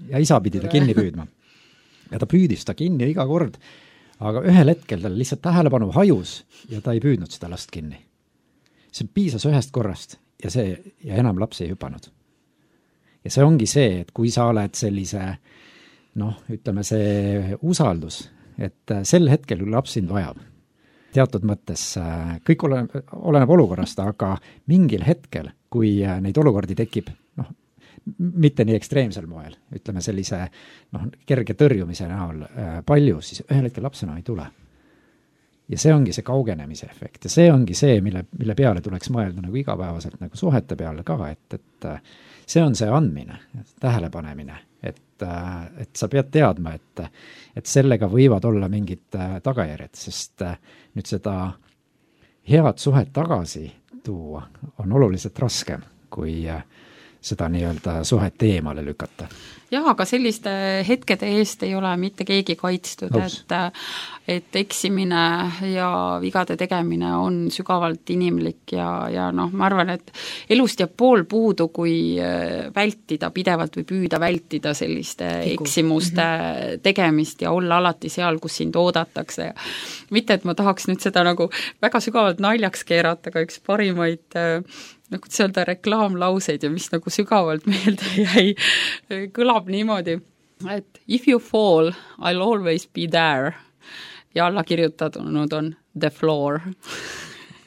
Ja isa pidi ta kinni püüdma. Ja ta püüdis ta kinni iga kord, aga ühel hetkel tal lihtsalt tähelepanu hajus ja ta ei püüdnud seda last kinni. See piisas ühest korrast ja enam laps ei hüpanud. Ja see ongi see, et kui sa oled sellise, ütleme see usaldus, et sel hetkel, kui laps sind vajab, teatud mõttes kõik oleneb olukorrast, aga mingil hetkel, kui neid olukordi tekib, mitte nii ekstreemsel moel, ütleme sellise kerge tõrjumise näol palju, siis ühel hetkel laps enam ei tule. Ja see ongi see kaugenemise efekt ja see ongi see, mille peale tuleks mõelda nagu igapäevaselt nagu suhete peale ka, et see on see andmine, tähelepanemine, et sa pead teadma, et sellega võivad olla mingid tagajärjed, sest nüüd seda head suhet tagasi tuua on oluliselt raskem, kui seda nii-öelda suhet eemale lükata. Jah, aga selliste hetkede eest ei ole mitte keegi kaitstud, et eksimine ja vigade tegemine on sügavalt inimlik ja ma arvan, et elust jääb pool puudu, kui vältida pidevalt või püüda vältida selliste eksimuste tegemist ja olla alati seal, kus sind oodatakse. Mitte, et ma tahaks nüüd seda nagu väga sügavalt naljaks keerata, aga üks parimaid kuidas öelda reklaamlauseid ja mis nagu sügavalt meelde jäi, kõlab niimoodi, et if you fall, I'll always be there ja alla kirjutanud on the floor.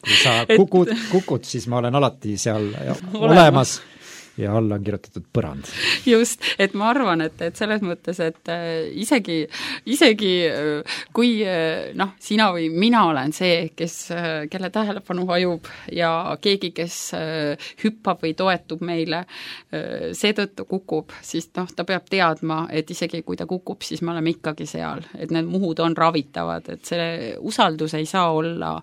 Kui sa kukud, siis ma olen alati seal olemas ja alla on kirjutatud põrand. Just, et ma arvan, et selles mõttes, et isegi kui sina või mina olen see, kelle tähelepanu hajub ja keegi, kes hüppab või toetub meile, seetõttu kukub, siis ta peab teadma, et isegi kui ta kukub, siis me oleme ikkagi seal, et need muhud on ravitavad, et see usaldus ei saa olla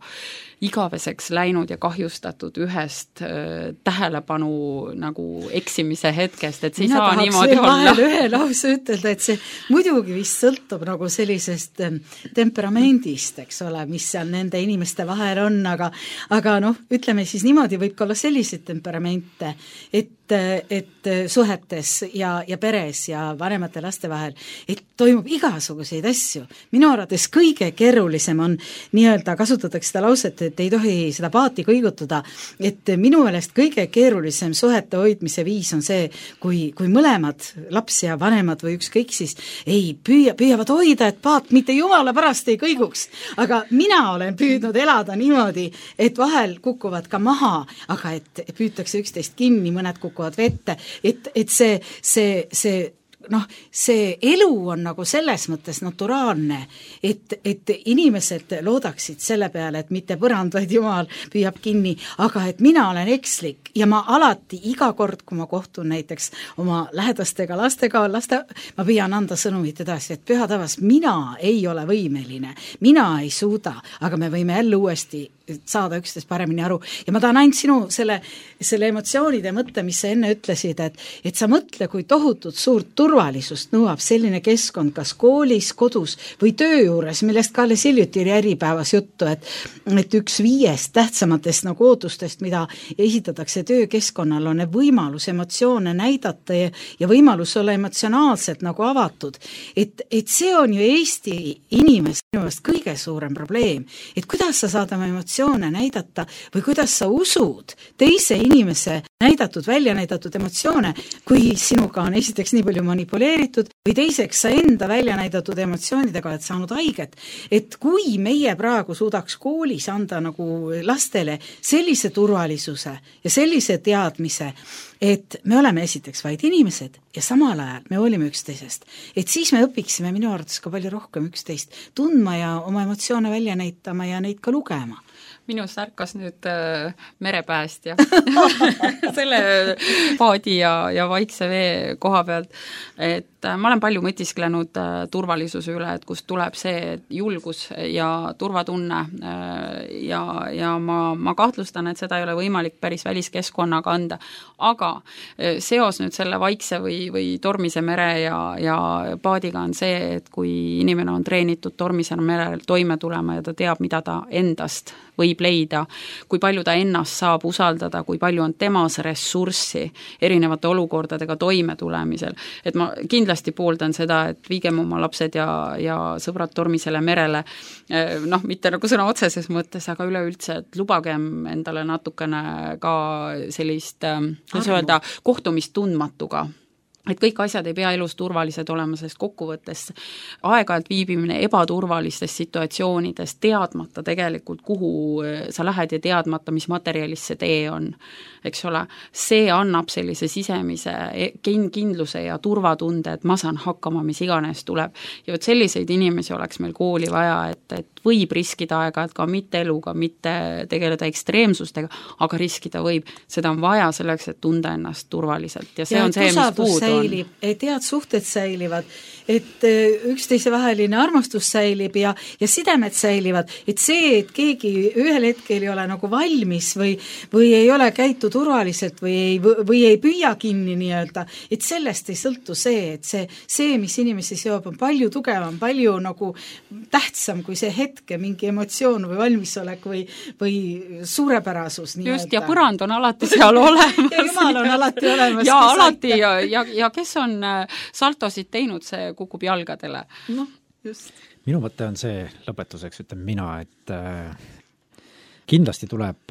igaveseks läinud ja kahjustatud ühest tähelepanu nagu eksimise hetkest, et see ei saa niimoodi olla. Mina tahaks ühe lause ütelda, et see muidugi vist sõltub nagu sellisest temperamendist, eks ole, mis seal nende inimeste vahel on, aga ütleme siis niimoodi, võib ka olla selliseid temperamente, et et suhetes ja peres ja vanemate laste vahel, et toimub igasuguseid asju. Minu arvates kõige keerulisem on nii-öelda, kasutatakse seda lauset, et ei tohi seda paati kõigutada, et minu meelest kõige keerulisem suhete hoidmise viis on see, kui mõlemad laps ja vanemad või ükskõik siis püüavad hoida, et paat mitte jumala pärast ei kõiguks. Aga mina olen püüdnud elada niimoodi, et vahel kukuvad ka maha, aga et püütakse üksteist kinni, mõned kukuvad vette, et see elu on nagu selles mõttes naturaalne, et inimesed loodaksid selle peale, et mitte põrand, vaid Jumal püüab kinni, aga et mina olen ekslik ja ma alati iga kord, kui ma kohtun näiteks oma lähedastega lastega, ma püüan anda sõnumit edasi, et püha tavas, mina ei ole võimeline, mina ei suuda, aga me võime jälle uuesti saada üksteist paremini aru. Ja ma tahan ainult sinu selle emotsioonide mõtte, mis sa enne ütlesid, et sa mõtle, kui tohutut suurt turvalisust nõuab selline keskkond, kas koolis, kodus või töö juures, millest ka alles hiljuti oli Äripäevas juttu, et üks 5 tähtsamatest nagu ootustest, mida esitatakse töökeskkonnal, on võimalus emotsioone näidata ja võimalus olla emotsionaalselt nagu avatud. Et see on ju Eesti inimest kõige suurem probleem, et kuidas sa saad oma emotsioone näidata või kuidas sa usud teise inimese välja näidatud emotsioone, kui sinuga on esiteks nii palju manipuleeritud või teiseks sa enda välja näidatud emotsioonidega oled saanud haiget. Et kui meie praegu suudaks koolis anda nagu lastele sellise turvalisuse ja sellise teadmise, et me oleme esiteks vaid inimesed ja samal ajal me hoolime üksteisest, et siis me õpiksime minu arvates ka palju rohkem üksteist tundma ja oma emotsioone välja näitama ja neid ka lugema. Minus ärkas nüüd merepäästja selle paadi ja vaikse vee koha pealt, et ma olen palju mõtisklenud turvalisuse üle, et kust tuleb see julgus ja turvatunne ja ma kahtlustan, et seda ei ole võimalik päris väliskeskkonnaga anda, aga seos nüüd selle vaikse või tormise mere ja paadiga on see, et kui inimene on treenitud tormisel merel toime tulema ja ta teab, mida ta endast võib leida, kui palju ta ennast saab usaldada, kui palju on temas ressurssi erinevate olukordadega toime tulemisel. Et ma kindlasti pooldan seda, et viigem oma lapsed ja sõbrad tormisele merele, mitte nagu sõna otseses mõttes, aga üleüldse, et lubagem endale natukene ka sellist, kuidas öelda, kohtumist tundmatuga. Et kõik asjad ei pea elus turvalised olema, sest kokkuvõttes aeg-ajalt viibimine ebaturvalistes situatsioonides, teadmata tegelikult, kuhu sa lähed ja teadmata, mis materjalis see tee on, eks ole, see annab sellise sisemise kindluse ja turvatunde, et ma saan hakkama, mis iganes tuleb. Ja selliseid inimesi oleks meil kooli vaja, et võib riskida aega, et ka mitte eluga, mitte tegeleda ekstreemsustega, aga riskida võib. Seda on vaja selleks, et tunda ennast turvaliselt ja see on see, mis puudu on. Et head suhted säilivad, et üksteise vaheline armastus säilib ja sidemed säilivad, et see, et keegi ühel hetkel ei ole nagu valmis või ei ole käitu turvaliselt või ei püüa kinni nii-öelda, et sellest ei sõltu see, et see, mis inimesi seob, on palju tugevam, palju nagu tähtsam kui see hetke mingi emotsioon või valmisolek või suurepärasus. Just, ja põrand on alati seal olemas. Ja Jumal on alati olemas. Ja alati, ja kes on saltosid teinud, see kukub jalgadele. No, just. Minu mõte on see, lõpetuseks ütlen mina, et kindlasti tuleb,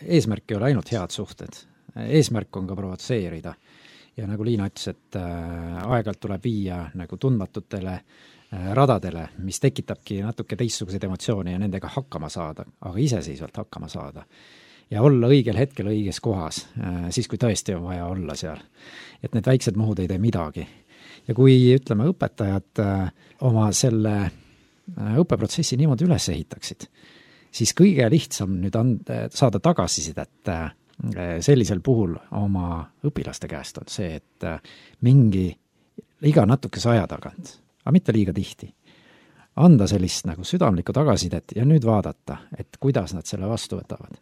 eesmärk ei ole ainult head suhted, eesmärk on ka provotseerida. Ja nagu Liina ütles, et aeg-ajalt tuleb viia nagu tundmatutele radadele, mis tekitabki natuke teistsuguseid emotsioone ja nendega hakkama saada, aga iseseisvalt hakkama saada. Ja olla õigel hetkel õiges kohas, siis kui tõesti on vaja olla seal. Et need väiksed muhud ei tee midagi. Ja kui, ütleme, õpetajad oma selle õppeprotsessi niimoodi üles ehitaksid, siis kõige lihtsam nüüd saada tagasisidet sellisel puhul oma õpilaste käest on see, et mingi iga natukese aja tagant, aga mitte liiga tihti, anda sellist nagu südamlikku tagasisidet ja nüüd vaadata, et kuidas nad selle vastu võtavad.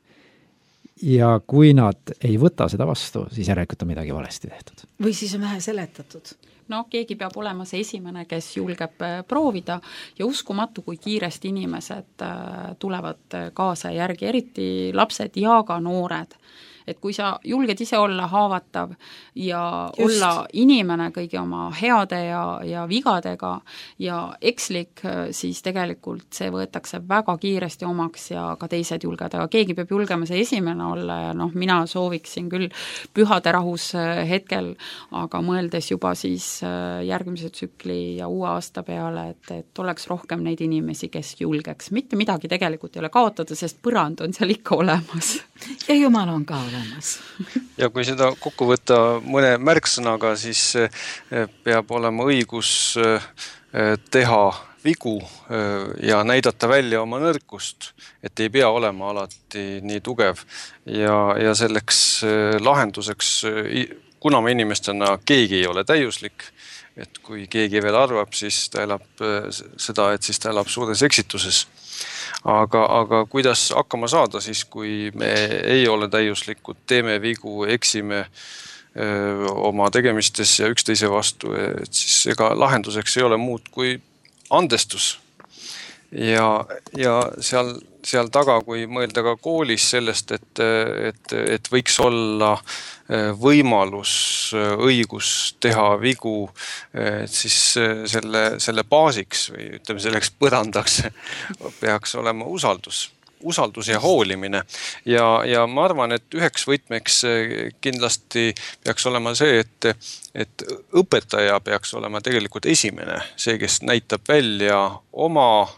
Ja kui nad ei võta seda vastu, siis järelikult on midagi valesti tehtud. Või siis on vähe seletatud. No, keegi peab olema see esimene, kes julgeb proovida ja uskumatu, kui kiiresti inimesed tulevad kaasa järgi, eriti lapsed ja ka noored. et kui sa julged ise olla haavatav ja Just. olla inimene kõigi oma heade ja vigadega ja ekslik, siis tegelikult see võetakse väga kiiresti omaks ja ka teised julged, aga keegi peab julgema see esimene olla ja mina sooviksin küll pühade rahus hetkel, aga mõeldes juba siis järgmise tsükli ja uue aasta peale, et oleks rohkem neid inimesi, kes julgeks. Mitte midagi tegelikult ei ole kaotada, sest põrand on seal ikka olemas. Ja Jumal on ka olemas. Ja kui seda kokku võtta mõne märksõnaga, siis peab olema õigus teha vigu ja näidata välja oma nõrkust, et ei pea olema alati nii tugev ja selleks lahenduseks, kuna me inimestena keegi ei ole täiuslik, et kui keegi veel arvab, siis ta elab seda, et siis ta elab suures eksituses. Aga kuidas hakkama saada siis, kui me ei ole täiuslikud, teeme vigu, eksime oma tegemistes ja üksteise vastu, et siis ega lahenduseks ei ole muud kui andestus. Ja seal taga, kui mõelda ka koolis sellest, et võiks olla võimalus, õigus teha vigu, siis selle baasiks või ütleme selleks põrandaks peaks olema usaldus ja hoolimine. Ja ma arvan, et üheks võtmeks kindlasti peaks olema see, et õpetaja peaks olema tegelikult esimene, see, kes näitab välja oma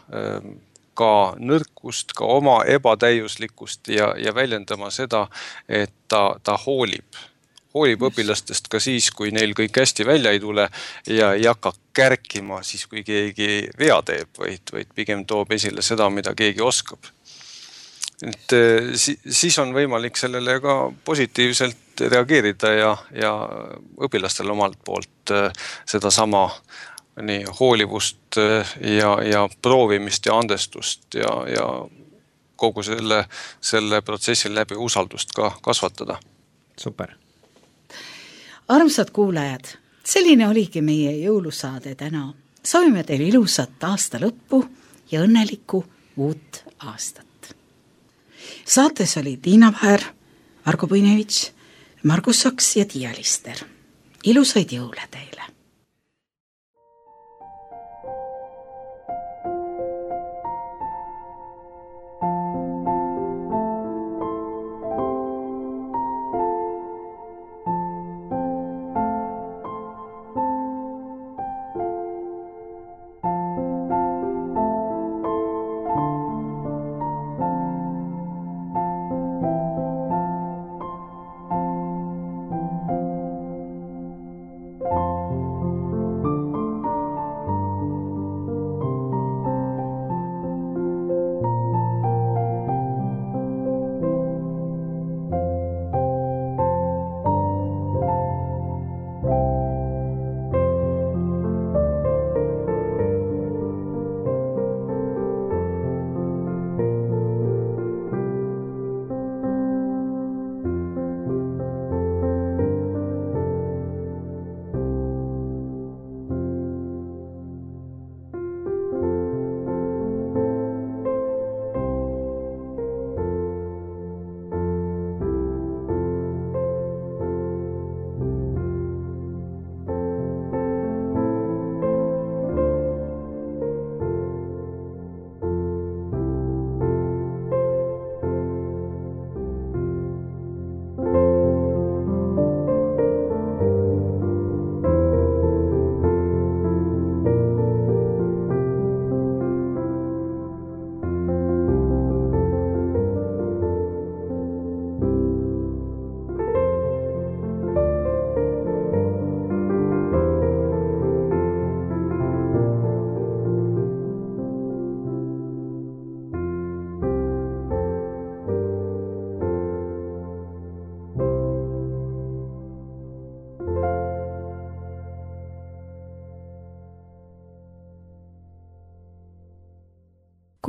ka nõrkust, ka oma ebatäiuslikkust ja väljendama seda, et ta hoolib õpilastest ka siis, kui neil kõik hästi välja ei tule ja ei hakka kärkima siis, kui keegi vea teeb, vaid pigem toob esile seda, mida keegi oskab. Et siis on võimalik sellele ka positiivselt reageerida ja õpilastel omalt poolt seda sama nii hoolivust ja proovimist ja andestust ja kogu selle protsessi läbi usaldust ka kasvatada. Super. Armsad kuulajad, selline oligi meie jõulusaade täna. Soovime teile ilusat aasta lõppu ja õnnelikku uut aastat. Saates oli Tiina Vaher, Margo Puinevitš, Margus Saks ja Tiia Lister. Ilusaid jõule teile!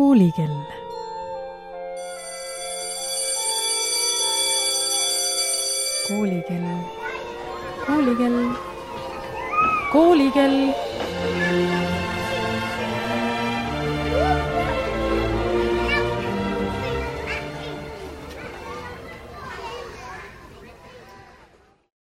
Koolikell. Koolikell. Koolikell. Koolikell.